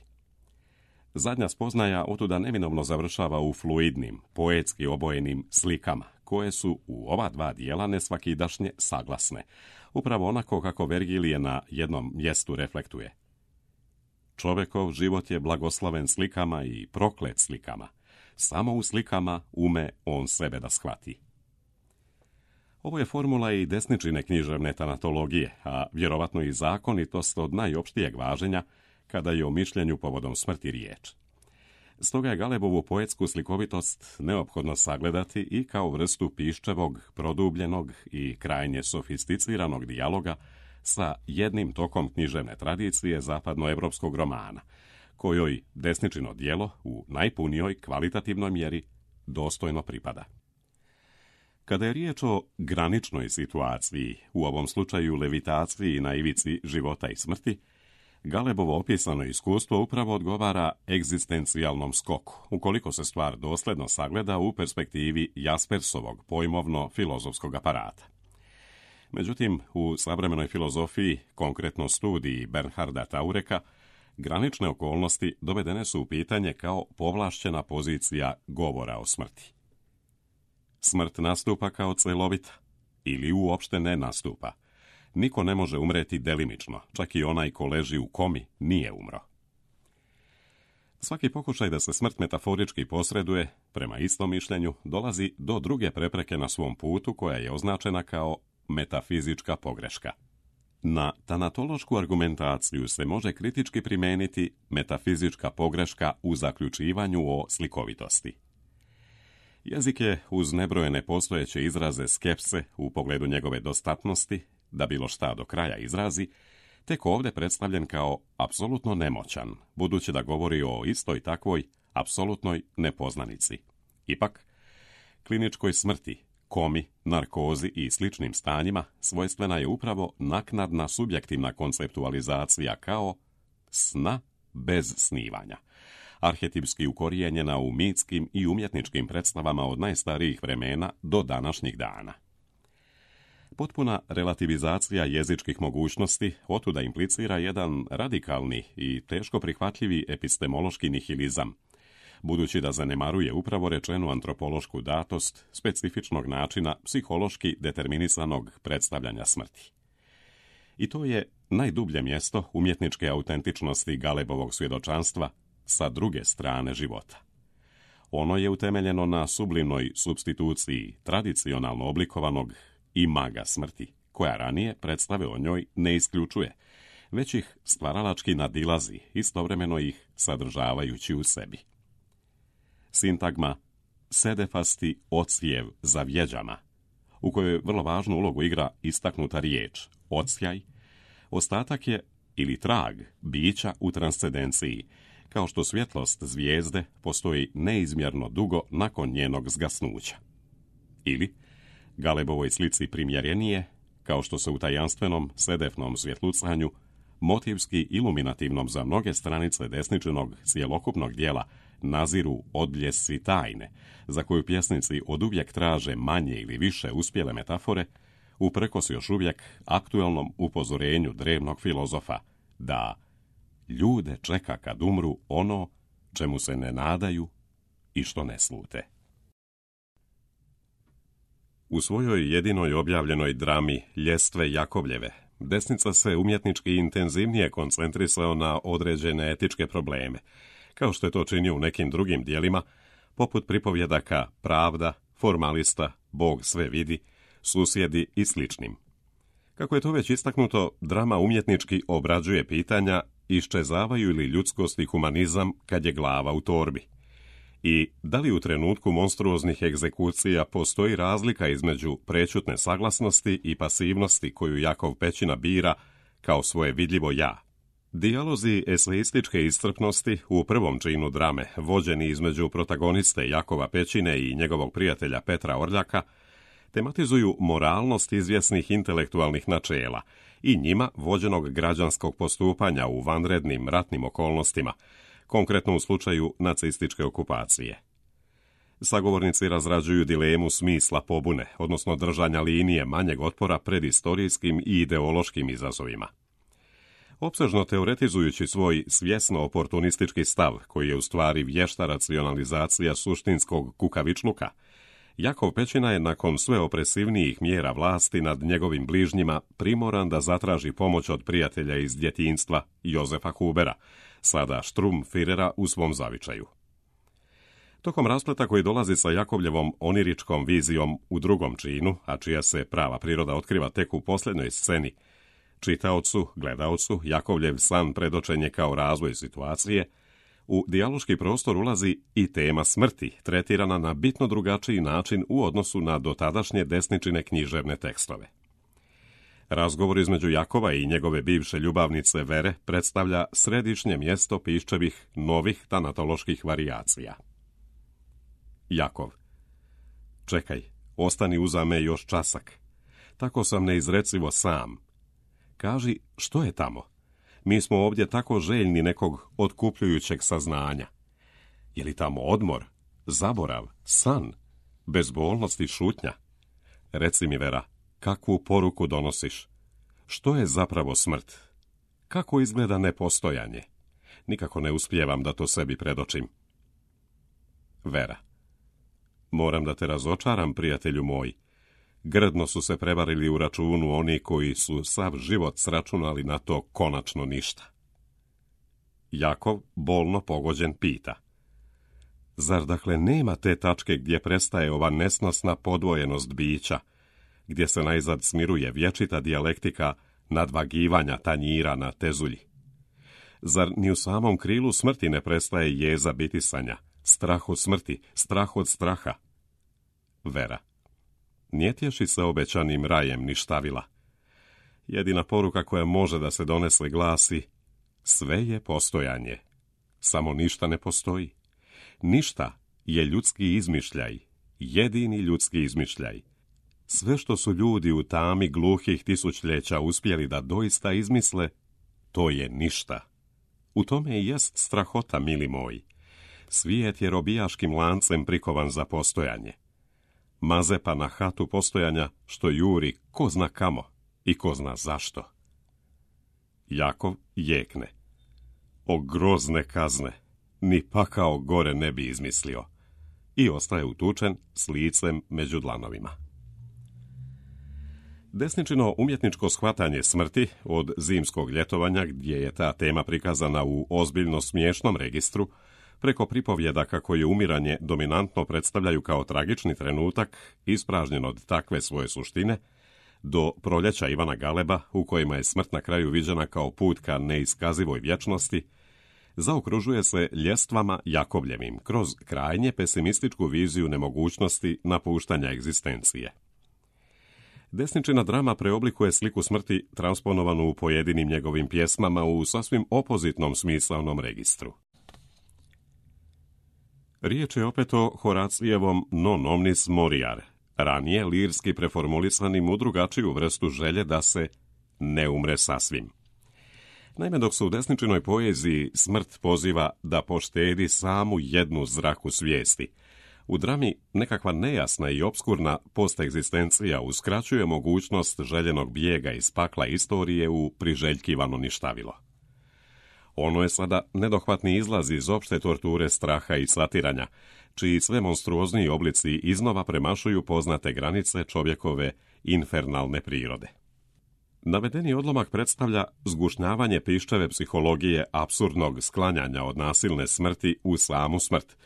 Zadnja spoznaja otuda neminovno završava u fluidnim, poetski obojenim slikama, koje su u ova dva dijela nesvakidašnje saglasne, upravo onako kako Vergilije na jednom mjestu reflektuje. Čovekov život je blagoslaven slikama i proklet slikama. Samo u slikama ume on sebe da shvati. Ovo je formula i desničine književne tanatologije, a vjerovatno i zakonitost od najopštijeg važenja kada je o mišljenju povodom smrti riječ. Stoga je Galebovu poetsku slikovitost neophodno sagledati i kao vrstu piščevog, produbljenog i krajnje sofisticiranog dijaloga sa jednim tokom književne tradicije zapadnoevropskog romana, kojoj desničino djelo u najpunijoj kvalitativnoj mjeri dostojno pripada. Kada je riječ o graničnoj situaciji, u ovom slučaju levitaciji na ivici života i smrti, Galebovo opisano iskustvo upravo odgovara egzistencijalnom skoku, ukoliko se stvar dosljedno sagleda u perspektivi Jaspersovog pojmovno-filozofskog aparata. Međutim, u savremenoj filozofiji, konkretno studiji Bernharda Taureka, granične okolnosti dovedene su u pitanje kao povlašćena pozicija govora o smrti. Smrt nastupa kao celovita ili uopšte ne nastupa. Niko ne može umreti delimično, čak i onaj ko leži u komi nije umro. Svaki pokušaj da se smrt metaforički posreduje, prema istom mišljenju, dolazi do druge prepreke na svom putu koja je označena kao metafizička pogreška. Na tanatološku argumentaciju se može kritički primijeniti metafizička pogreška u zaključivanju o slikovitosti. Jezik je, uz nebrojene postojeće izraze skepse u pogledu njegove dostatnosti, da bilo šta do kraja izrazi, tek ovdje predstavljen kao apsolutno nemoćan, budući da govori o istoj takvoj apsolutnoj nepoznanici. Ipak, kliničkoj smrti, komi, narkozi i sličnim stanjima svojstvena je upravo naknadna subjektivna konceptualizacija kao sna bez snivanja, arhetipski ukorijenjena u mitskim i umjetničkim predstavama od najstarijih vremena do današnjih dana. Potpuna relativizacija jezičkih mogućnosti otuda implicira jedan radikalni i teško prihvatljivi epistemološki nihilizam, budući da zanemaruje upravo rečenu antropološku datost specifičnog načina psihološki determinisanog predstavljanja smrti. I to je najdublje mjesto umjetničke autentičnosti Galebovog svjedočanstva sa druge strane života. Ono je utemeljeno na sublimnoj supstituciji tradicionalno oblikovanog imaga smrti, koja ranije predstave o njoj ne isključuje, već ih stvaralački nadilazi, istovremeno ih sadržavajući u sebi. Sintagma sedefasti odsjev za vjeđama, u kojoj vrlo važnu ulogu igra istaknuta riječ odsjaj, ostatak je ili trag bića u transcendenciji, kao što svjetlost zvijezde postoji neizmjerno dugo nakon njenog zgasnuća. Ili, Galebovoj slici primjerenije, kao što se u tajanstvenom sedefnom svjetlucanju, motivski iluminativnom za mnoge stranice desničinog cjelokupnog dijela, naziru odbljesci tajne, za koju pjesnici oduvijek traže manje ili više uspjele metafore, uprkos još uvijek aktuelnom upozorenju drevnog filozofa, da ljude čeka kad umru ono čemu se ne nadaju i što ne slute. U svojoj jedinoj objavljenoj drami Ljestve Jakovljeve, Desnica se umjetnički intenzivnije koncentrisao na određene etičke probleme, kao što je to činio u nekim drugim dijelima, poput pripovjedaka Pravda, Formalista, Bog sve vidi, Susjedi i sličnim. Kako je to već istaknuto, drama umjetnički obrađuje pitanja iščezavaju li ljudskost i humanizam kad je glava u torbi. I da li u trenutku monstruoznih egzekucija postoji razlika između prečutne saglasnosti i pasivnosti koju Jakov Pećina bira kao svoje vidljivo ja. Dijalozi eseističke iscrpnosti u prvom činu drame, vođeni između protagoniste Jakova Pećine i njegovog prijatelja Petra Orljaka, tematizuju moralnost izvjesnih intelektualnih načela i njima vođenog građanskog postupanja u vanrednim ratnim okolnostima, konkretno u slučaju nacističke okupacije. Sagovornici razrađuju dilemu smisla pobune, odnosno držanja linije manjeg otpora pred istorijskim i ideološkim izazovima. Opsežno teoretizujući svoj svjesno oportunistički stav, koji je u stvari vješta racionalizacija suštinskog kukavičluka, Jakov Pećina je nakon sve opresivnijih mjera vlasti nad njegovim bližnjima primoran da zatraži pomoć od prijatelja iz djetinjstva Jozefa Hubera, sada Štrumfirera u svom zavičaju. Tokom raspleta koji dolazi sa Jakovljevom oniričkom vizijom u drugom činu, a čija se prava priroda otkriva tek u posljednjoj sceni, čitaocu, gledaocu, Jakovljev san predočen je kao razvoj situacije, u dijaloški prostor ulazi i tema smrti, tretirana na bitno drugačiji način u odnosu na dotadašnje desničine književne tekstove. Razgovor između Jakova i njegove bivše ljubavnice Vere predstavlja središnje mjesto Piščevih novih tanatoloških varijacija. Jakov: čekaj, ostani uza me još časak. Tako sam neizrecivo sam. Kaži, što je tamo? Mi smo ovdje tako željni nekog otkupljujućeg saznanja. Je li tamo odmor, zaborav, san, bezbolnost i šutnja? Reci mi, Vera, kakvu poruku donosiš? Što je zapravo smrt? Kako izgleda nepostojanje? Nikako ne uspijevam da to sebi predočim. Vera: moram da te razočaram, prijatelju moj. Grdno su se prevarili u računu oni koji su sav život sračunali na to konačno ništa. Jakov, bolno pogođen, pita: zar dakle nema te tačke gdje prestaje ova nesnosna podvojenost bića, gdje se najzad smiruje vječita dijalektika nadvagivanja tanjira na tezulji? Zar ni u samom krilu smrti ne prestaje jeza bitisanja, strah od smrti, strah od straha? Vera: nije tješi se obećanim rajem ništavila. Jedina poruka koja može da se donese glasi: sve je postojanje, samo ništa ne postoji. Ništa je ljudski izmišljaj, jedini ljudski izmišljaj. Sve što su ljudi u tami gluhih tisućljeća uspjeli da doista izmisle, to je ništa. U tome i jest strahota, mili moji. Svijet je robijaškim lancem prikovan za postojanje. Mazepa na hatu postojanja što juri ko zna kamo i ko zna zašto. Jakov jekne: o grozne kazne, ni pakao gore ne bi izmislio. I ostaje utučen s licem među dlanovima. Desničino umjetničko shvatanje smrti od Zimskog ljetovanja, gdje je ta tema prikazana u ozbiljno smiješnom registru, preko pripovjedaka koje umiranje dominantno predstavljaju kao tragični trenutak, ispražnjen od takve svoje suštine, do Proljeća Ivana Galeba, u kojima je smrt na kraju viđena kao put ka neiskazivoj vječnosti, zaokružuje se ljestvama Jakovljevim kroz krajnje pesimističku viziju nemogućnosti napuštanja egzistencije. Desničina drama preoblikuje sliku smrti transponovanu u pojedinim njegovim pjesmama u sasvim opozitnom smisaonom registru. Riječ je opet o Horacijevom non omnis moriar, ranije lirski preformulisanim u drugačiju vrstu želje da se ne umre sasvim. Naime, dok se u desničinoj poeziji smrt poziva da poštedi samu jednu zraku svijesti, u drami nekakva nejasna i opskurna postegzistencija uskraćuje mogućnost željenog bijega iz pakla istorije u priželjkivano ništavilo. Ono je sada nedohvatni izlaz iz opšte torture straha i satiranja, čiji sve monstruozniji oblici iznova premašuju poznate granice čovjekove infernalne prirode. Navedeni odlomak predstavlja zgušnjavanje Piščeve psihologije apsurdnog sklanjanja od nasilne smrti u samu smrt,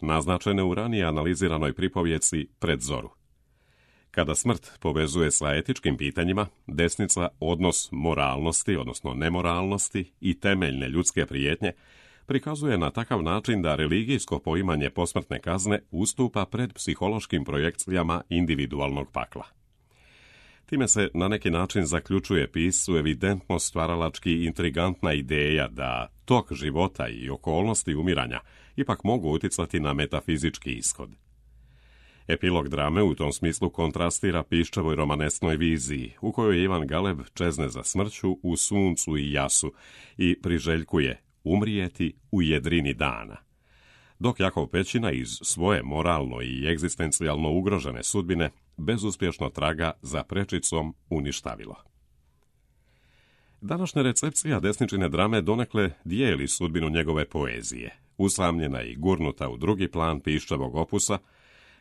naznačene u ranije analiziranoj pripovjeci Pred zoru. Kada smrt povezuje sa etičkim pitanjima, desnica odnos moralnosti, odnosno nemoralnosti i temeljne ljudske prijetnje prikazuje na takav način da religijsko poimanje posmrtne kazne ustupa pred psihološkim projekcijama individualnog pakla. Time se na neki način zaključuje piscu evidentno stvaralački intrigantna ideja da tok života i okolnosti umiranja ipak mogu uticati na metafizički ishod. Epilog drame u tom smislu kontrastira Piščevoj romanesknoj viziji, u kojoj Ivan Galeb čezne za smrću u suncu i jasu i priželjkuje umrijeti u jedrini dana, dok Jakov Pećina iz svoje moralno i egzistencijalno ugrožene sudbine bezuspješno traga za prečicom u ništavilo. Današnja recepcija desničine drame donekle dijeli sudbinu njegove poezije, usamljena i gurnuta u drugi plan Piščevog opusa.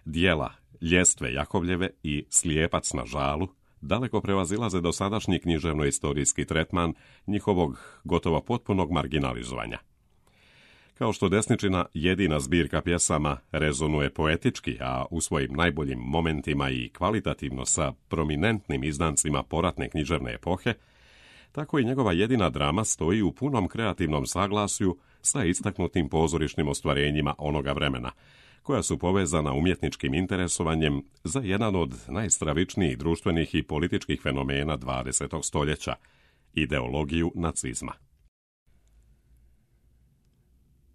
Dijela Ljestve Jakovljeve i Slijepac na žalu daleko prevazilaze dosadašnji književno-istorijski tretman njihovog gotovo potpunog marginalizovanja. Kao što desničina jedina zbirka pjesama rezonuje poetički, a u svojim najboljim momentima i kvalitativno sa prominentnim izdancima poratne književne epohe, tako i njegova jedina drama stoji u punom kreativnom saglasju sa istaknutim pozorišnim ostvarenjima onoga vremena, koja su povezana umjetničkim interesovanjem za jedan od najstravičnijih društvenih i političkih fenomena 20. stoljeća, ideologiju nacizma.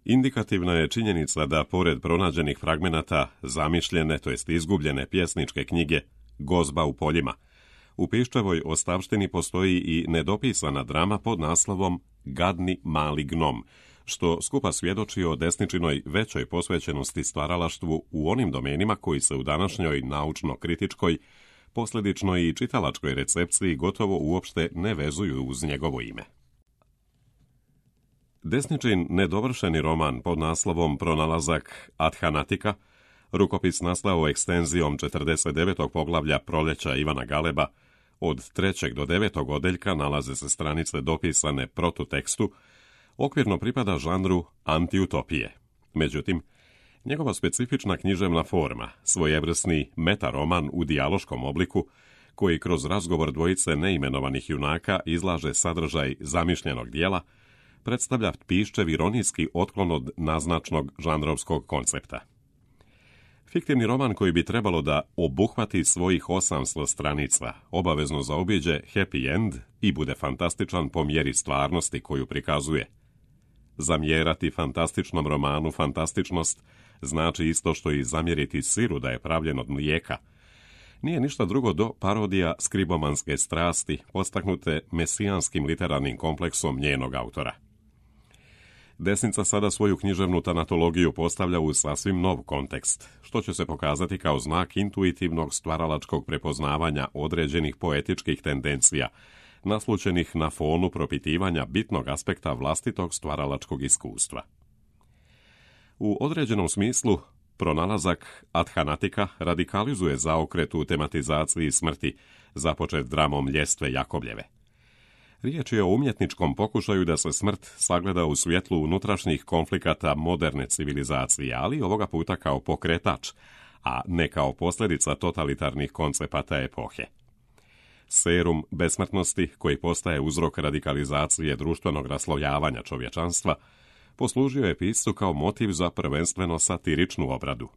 Indikativna je činjenica da, pored pronađenih fragmenata zamišljene, to jest izgubljene pjesničke knjige Gozba u poljima, u Piščevoj ostavštini postoji i nedopisana drama pod naslovom Gadni mali gnom, što skupa svjedoči o desničinoj većoj posvećenosti stvaralaštvu u onim domenima koji se u današnjoj naučno-kritičkoj, posljedično i čitalačkoj recepciji gotovo uopšte ne vezuju uz njegovo ime. Desničin nedovršeni roman pod naslovom Pronalazak Adhanatika, rukopis nastao ekstenzijom 49. poglavlja Proljeća Ivana Galeba, od 3. do 9. odeljka nalaze se stranice dopisane protutekstu, okvirno pripada žanru antiutopije. Međutim, njegova specifična književna forma, svojevrsni metaroman u dijaloškom obliku, koji kroz razgovor dvojice neimenovanih junaka izlaže sadržaj zamišljenog dijela, predstavlja Piščev ironijski otklon od naznačnog žanrovskog koncepta. Fiktivni roman koji bi trebalo da obuhvati svojih 800 stranica, obavezno zaobiđe happy end i bude fantastičan po mjeri stvarnosti koju prikazuje. Zamjerati fantastičnom romanu fantastičnost znači isto što i zamjeriti siru da je pravljen od mlijeka. Nije ništa drugo do parodija skribomanske strasti podstaknute mesijanskim literarnim kompleksom njenog autora. Desnica sada svoju književnu tanatologiju postavlja u sasvim nov kontekst, što će se pokazati kao znak intuitivnog stvaralačkog prepoznavanja određenih poetičkih tendencija, naslučenih na fonu propitivanja bitnog aspekta vlastitog stvaralačkog iskustva. U određenom smislu, Pronalazak Adhanatika radikalizuje zaokret u tematizaciji smrti, započet dramom Ljestve Jakovljeve. Riječ je o umjetničkom pokušaju da se smrt sagleda u svjetlu unutrašnjih konflikata moderne civilizacije, ali ovoga puta kao pokretač, a ne kao posljedica totalitarnih koncepata epohe. Serum besmrtnosti, koji postaje uzrok radikalizacije društvenog raslojavanja čovječanstva, poslužio je piscu kao motiv za prvenstveno satiričnu obradu.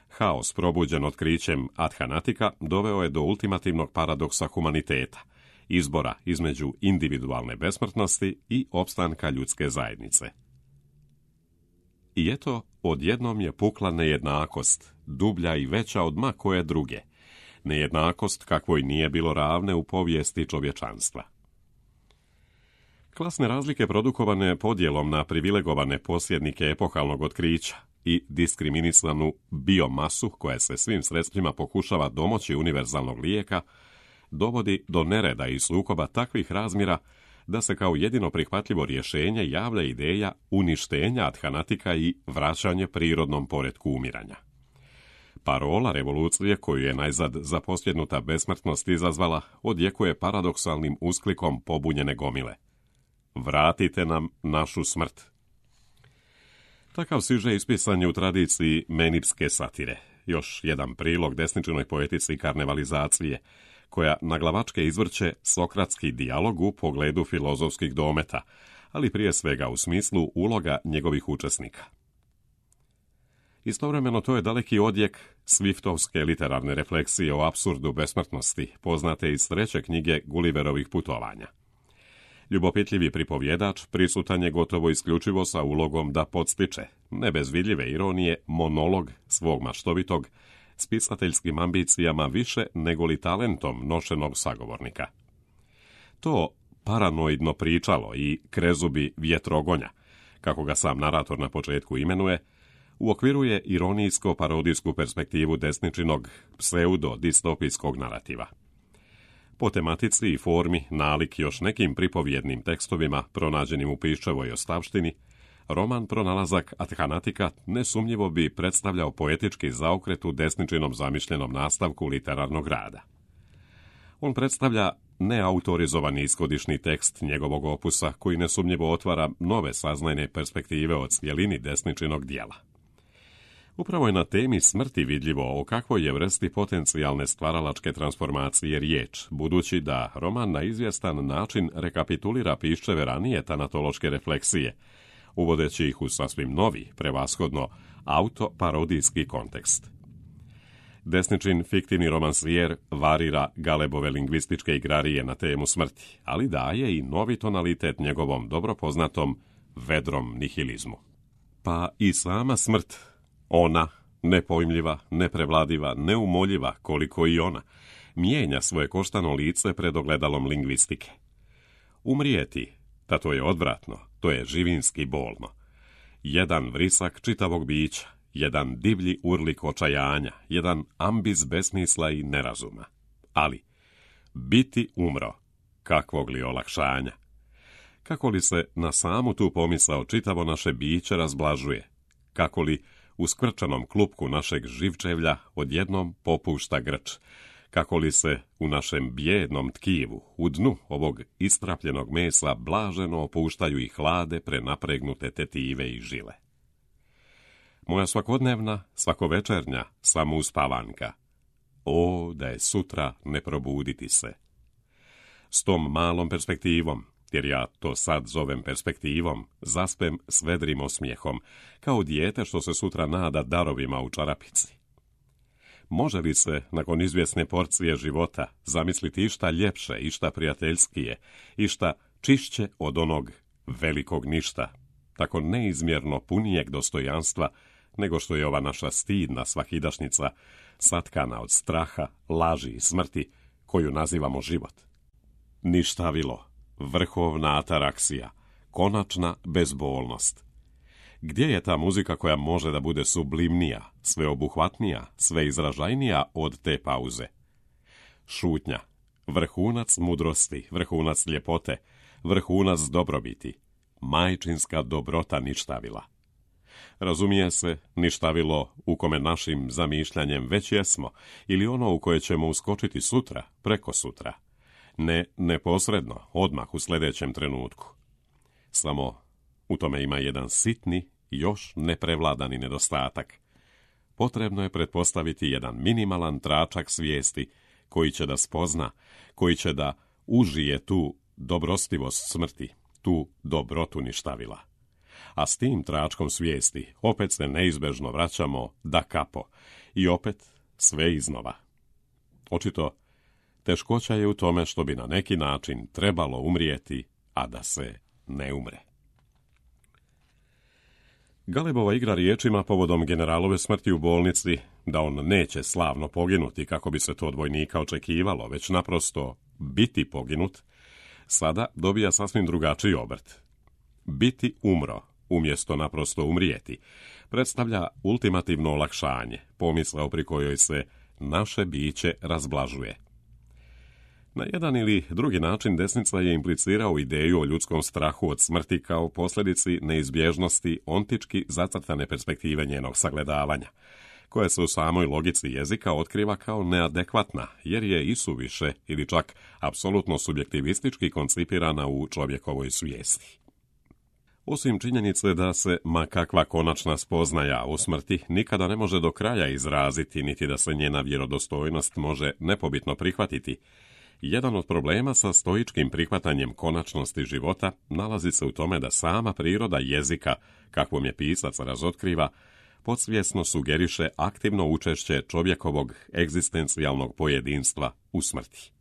Haos probuđen otkrićem Adhanatika doveo je do ultimativnog paradoksa humaniteta, izbora između individualne besmrtnosti i opstanka ljudske zajednice. I eto, odjednom je pukla nejednakost, dublja i veća od ma koje druge, nejednakost kakvoj nije bilo ravne u povijesti čovječanstva. Klasne razlike produkovane podjelom na privilegovane posjednike epohalnog otkrića i diskriminisanu biomasu koja se svim sredstvima pokušava domoći univerzalnog lijeka, dovodi do nereda i sukoba takvih razmjera da se kao jedino prihvatljivo rješenje javlja ideja uništenja adhanatika i vraćanje prirodnom poretku umiranja. Parola revolucije, koju je najzad zaposljednuta besmrtnost izazvala, odjekuje paradoksalnim usklikom pobunjene gomile. Vratite nam našu smrt. Takav siže ispisan je u tradiciji menipske satire, još jedan prilog desničinoj poetici karnevalizacije, koja naglavačke izvrće sokratski dijalog u pogledu filozofskih dometa, ali prije svega u smislu uloga njegovih učesnika. Istovremeno to je daleki odjek Swiftovske literarne refleksije o apsurdu besmrtnosti, poznate iz 3. knjige Gulliverovih putovanja. Ljubopitljivi pripovjedač prisutan je gotovo isključivo sa ulogom da podstiče, ne bez vidljive ironije, monolog svog maštovitog, s pisateljskim ambicijama više nego li talentom nošenog sagovornika. To paranoidno pričalo i krezubi vjetrogonja, kako ga sam narator na početku imenuje, uokviruje ironijsko-parodijsku perspektivu desničinog pseudo-distopijskog narativa. Po tematici i formi nalik još nekim pripovjednim tekstovima pronađenim u Piščevoj ostavštini, roman Pronalazak adhanatika nesumnjivo bi predstavljao poetički zaokret u desničinom zamišljenom nastavku literarnog rada. On predstavlja neautorizovani ishodišni tekst njegovog opusa koji nesumnjivo otvara nove saznajne perspektive od cjelini desničinog dijela. Upravo je na temi smrti vidljivo o kakvoj je vrsti potencijalne stvaralačke transformacije riječ, budući da roman na izvjestan način rekapitulira Piščeve ranije tanatološke refleksije, uvodeći ih u sasvim novi, prevashodno autoparodijski kontekst. Desničin fiktivni romansijer varira Galebove lingvističke igrarije na temu smrti, ali daje i novi tonalitet njegovom dobro poznatom vedrom nihilizmu. Pa i sama smrt, ona, nepojmljiva, neprevladiva, neumoljiva koliko i ona, mijenja svoje koštano lice pred ogledalom lingvistike. Umrijeti, ta to je odvratno, to je živinski bolno. Jedan vrisak čitavog bića, jedan divlji urlik očajanja, jedan ambis besmisla i nerazuma. Ali, biti umro, kakvog li olakšanja? Kako li se na samu tu pomisao čitavo naše biće razblažuje? Kako li u skvrčanom klupku našeg živčevlja odjednom popušta grč? Kako li se u našem bijednom tkivu, u dnu ovog istrapljenog mesa blaženo opuštaju i hlade prenapregnute tetive i žile? Moja svakodnevna, svakovečernja samouspavanka. O, da je sutra ne probuditi se. S tom malom perspektivom, jer ja to sad zovem perspektivom, zaspem s vedrim osmijehom, kao dijete što se sutra nada darovima u čarapici. Može li se, nakon izvjesne porcije života, zamisliti išta ljepše, išta prijateljskije, išta čišće od onog velikog ništa, tako neizmjerno punijeg dostojanstva, nego što je ova naša stidna svakidašnjica, satkana od straha, laži i smrti, koju nazivamo život? Ništavilo, vrhovna ataraksija, konačna bezbolnost. Gdje je ta muzika koja može da bude sublimnija, sveobuhvatnija, sveizražajnija od te pauze? Šutnja, vrhunac mudrosti, vrhunac ljepote, vrhunac dobrobiti, majčinska dobrota ništavila. Razumije se, ništavilo u kome našim zamišljanjem već jesmo, ili ono u koje ćemo uskočiti sutra, preko sutra. Ne neposredno, odmah u sljedećem trenutku. Samo u tome ima jedan sitni, još neprevladani nedostatak. Potrebno je pretpostaviti jedan minimalan tračak svijesti koji će da spozna, koji će da užije tu dobrostivost smrti, tu dobrotu ništavila. A s tim tračkom svijesti opet se neizbežno vraćamo da kapo i opet sve iznova. Očito, teškoća je u tome što bi na neki način trebalo umrijeti, a da se ne umre. Galebova igra riječima povodom generalove smrti u bolnici, da on neće slavno poginuti kako bi se to od vojnika očekivalo, već naprosto biti poginut, sada dobija sasvim drugačiji obrt. Biti umro, umjesto naprosto umrijeti, predstavlja ultimativno olakšanje, pomisao pri kojoj se naše biće razblažuje. Na jedan ili drugi način desnica je implicirao ideju o ljudskom strahu od smrti kao posljedici neizbježnosti ontički zacrtane perspektive njenog sagledavanja, koja se u samoj logici jezika otkriva kao neadekvatna, jer je isuviše ili čak apsolutno subjektivistički koncipirana u čovjekovoj svijesti. Osim činjenice da se ma kakva konačna spoznaja o smrti nikada ne može do kraja izraziti, niti da se njena vjerodostojnost može nepobitno prihvatiti, jedan od problema sa stoičkim prihvatanjem konačnosti života nalazi se u tome da sama priroda jezika, kakvom je pisac razotkriva, podsvjesno sugeriše aktivno učešće čovjekovog egzistencijalnog pojedinstva u smrti.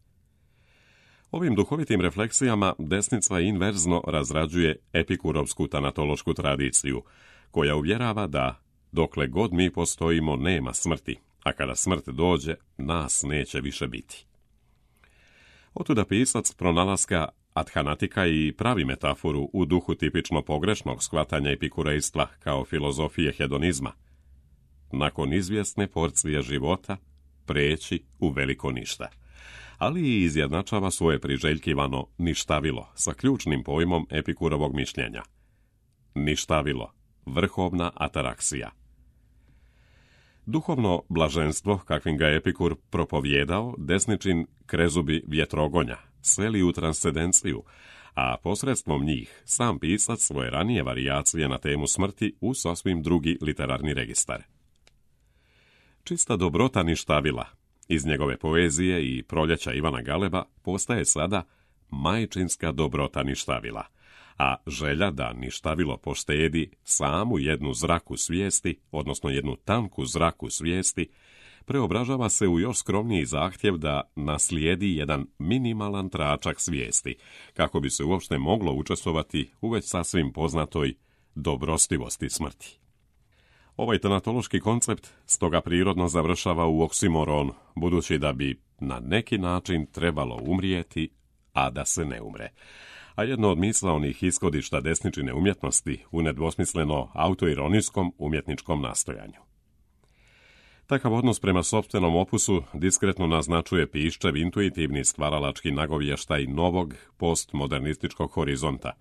Ovim duhovitim refleksijama desnica inverzno razrađuje epikurovsku tanatološku tradiciju, koja uvjerava da dokle god mi postojimo nema smrti, a kada smrt dođe, nas neće više biti. Otuda pisac pronalaska adhanatika i pravi metaforu u duhu tipično pogrešnog shvatanja epikurejstva kao filozofije hedonizma. Nakon izvjesne porcije života preći u veliko ništa, ali i izjednačava svoje priželjkivano ništavilo sa ključnim pojmom Epikurovog mišljenja. Ništavilo, vrhovna ataraksija. Duhovno blaženstvo, kakvim ga Epikur propovjedao, desničin krezubi vjetrogonja, sveli u transcendenciju, a posredstvom njih sam pisac svoje ranije varijacije na temu smrti u sasvim drugi literarni registar. Čista dobrota ništavila iz njegove poezije i Proljeća Ivana Galeba postaje sada majčinska dobrota ništavila, a želja da ništavilo poštedi samu jednu zraku svijesti, odnosno jednu tanku zraku svijesti, preobražava se u još skromniji zahtjev da naslijedi jedan minimalan tračak svijesti, kako bi se uopšte moglo učestvovati u već sasvim poznatoj dobrostivosti smrti. Ovaj tanatološki koncept stoga prirodno završava u oksimoronu, budući da bi na neki način trebalo umrijeti, a da se ne umre. A jedno od misaonih ishodišta desničine umjetnosti u nedvosmisleno autoironijskom umjetničkom nastojanju. Takav odnos prema sopstvenom opusu diskretno naznačuje Piščev intuitivni stvaralački nagovještaj novog postmodernističkog horizonta,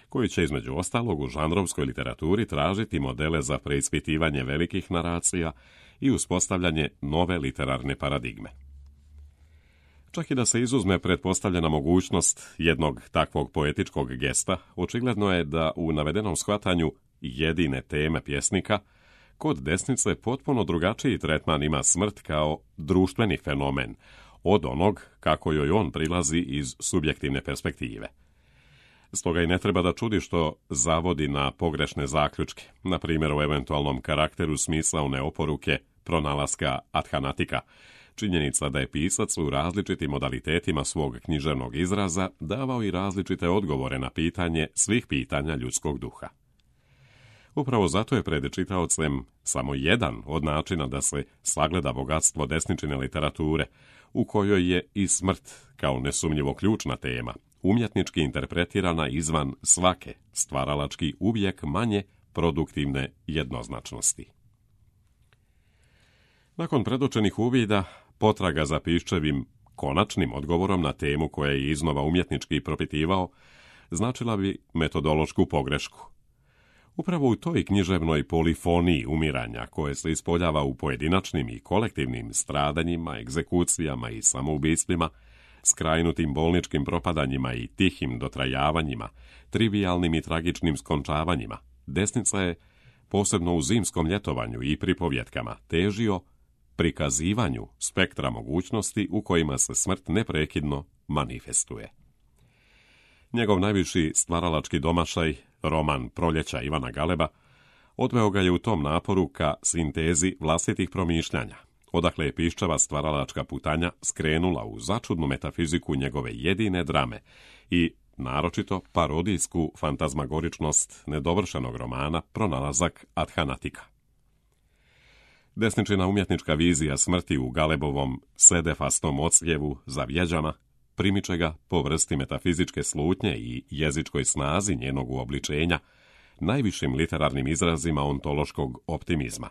koji će između ostalog u žanrovskoj literaturi tražiti modele za preispitivanje velikih naracija i uspostavljanje nove literarne paradigme. Čak i da se izuzme pretpostavljena mogućnost jednog takvog poetičkog gesta, očigledno je da u navedenom shvatanju jedine teme pjesnika kod desnice potpuno drugačiji tretman ima smrt kao društveni fenomen od onog kako joj on prilazi iz subjektivne perspektive. Stoga i ne treba da čudi što zavodi na pogrešne zaključke, na primjer o eventualnom karakteru smisaone oporuke pronalaska adhanatika, činjenica da je pisac u različitim modalitetima svog književnog izraza davao i različite odgovore na pitanje svih pitanja ljudskog duha. Upravo zato je pred čitaocem samo jedan od načina da se sagleda bogatstvo desničine literature, u kojoj je i smrt kao nesumnjivo ključna tema, umjetnički interpretirana izvan svake stvaralački uvijek manje produktivne jednoznačnosti. Nakon predočenih uvida, potraga za Piščevim konačnim odgovorom na temu koja je iznova umjetnički propitivao, značila bi metodološku pogrešku. Upravo u toj književnoj polifoniji umiranja koje se ispoljava u pojedinačnim i kolektivnim stradanjima, egzekucijama i samoubistvima, skrajnutim bolničkim propadanjima i tihim dotrajavanjima, trivijalnim i tragičnim skončavanjima, desnica je, posebno u zimskom ljetovanju i pripovjetkama, težio prikazivanju spektra mogućnosti u kojima se smrt neprekidno manifestuje. Njegov najviši stvaralački domašaj, roman Proljeća Ivana Galeba, odveo ga je u tom naporu ka sintezi vlastitih promišljanja, odakle je Piščeva stvaralačka putanja skrenula u začudnu metafiziku njegove jedine drame i naročito parodijsku fantazmagoričnost nedovršenog romana Pronalazak adhanatika. Desničina umjetnička vizija smrti u Galebovom sedefastom ocljevu za vjeđama primiče ga po vrsti metafizičke slutnje i jezičkoj snazi njenog uobličenja, najvišim literarnim izrazima ontološkog optimizma.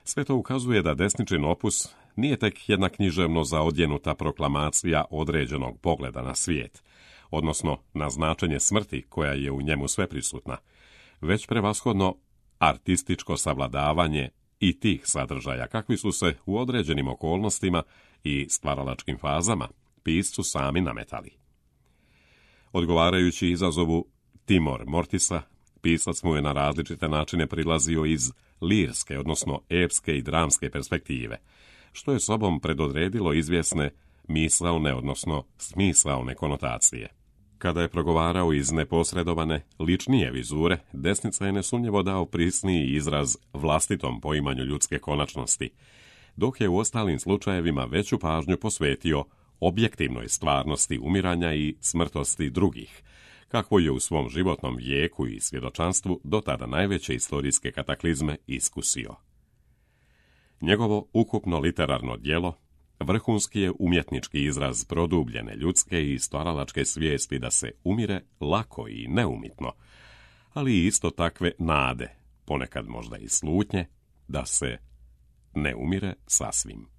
Sve to ukazuje da Desničin opus nije tek jedna književno zaodjenuta proklamacija određenog pogleda na svijet, odnosno na značenje smrti koja je u njemu sveprisutna, već prevashodno artističko savladavanje i tih sadržaja kakvi su se u određenim okolnostima i stvaralačkim fazama piscu sami nametali. Odgovarajući izazovu Timor Mortisa, pisac mu je na različite načine prilazio iz lirske, odnosno epske i dramske perspektive, što je sobom predodredilo izvjesne misaone, odnosno smisaone konotacije. Kada je progovarao iz neposredovane, ličnije vizure, Desnica je nesumnjivo dao prisniji izraz vlastitom poimanju ljudske konačnosti, dok je u ostalim slučajevima veću pažnju posvetio objektivnoj stvarnosti umiranja i smrtosti drugih, kakvo je u svom životnom vijeku i svjedočanstvu do tada najveće istorijske kataklizme iskusio. Njegovo ukupno literarno djelo vrhunski je umjetnički izraz produbljene ljudske i stvaralačke svijesti da se umire lako i neumitno, ali i isto takve nade, ponekad možda i slutnje, da se ne umire sasvim.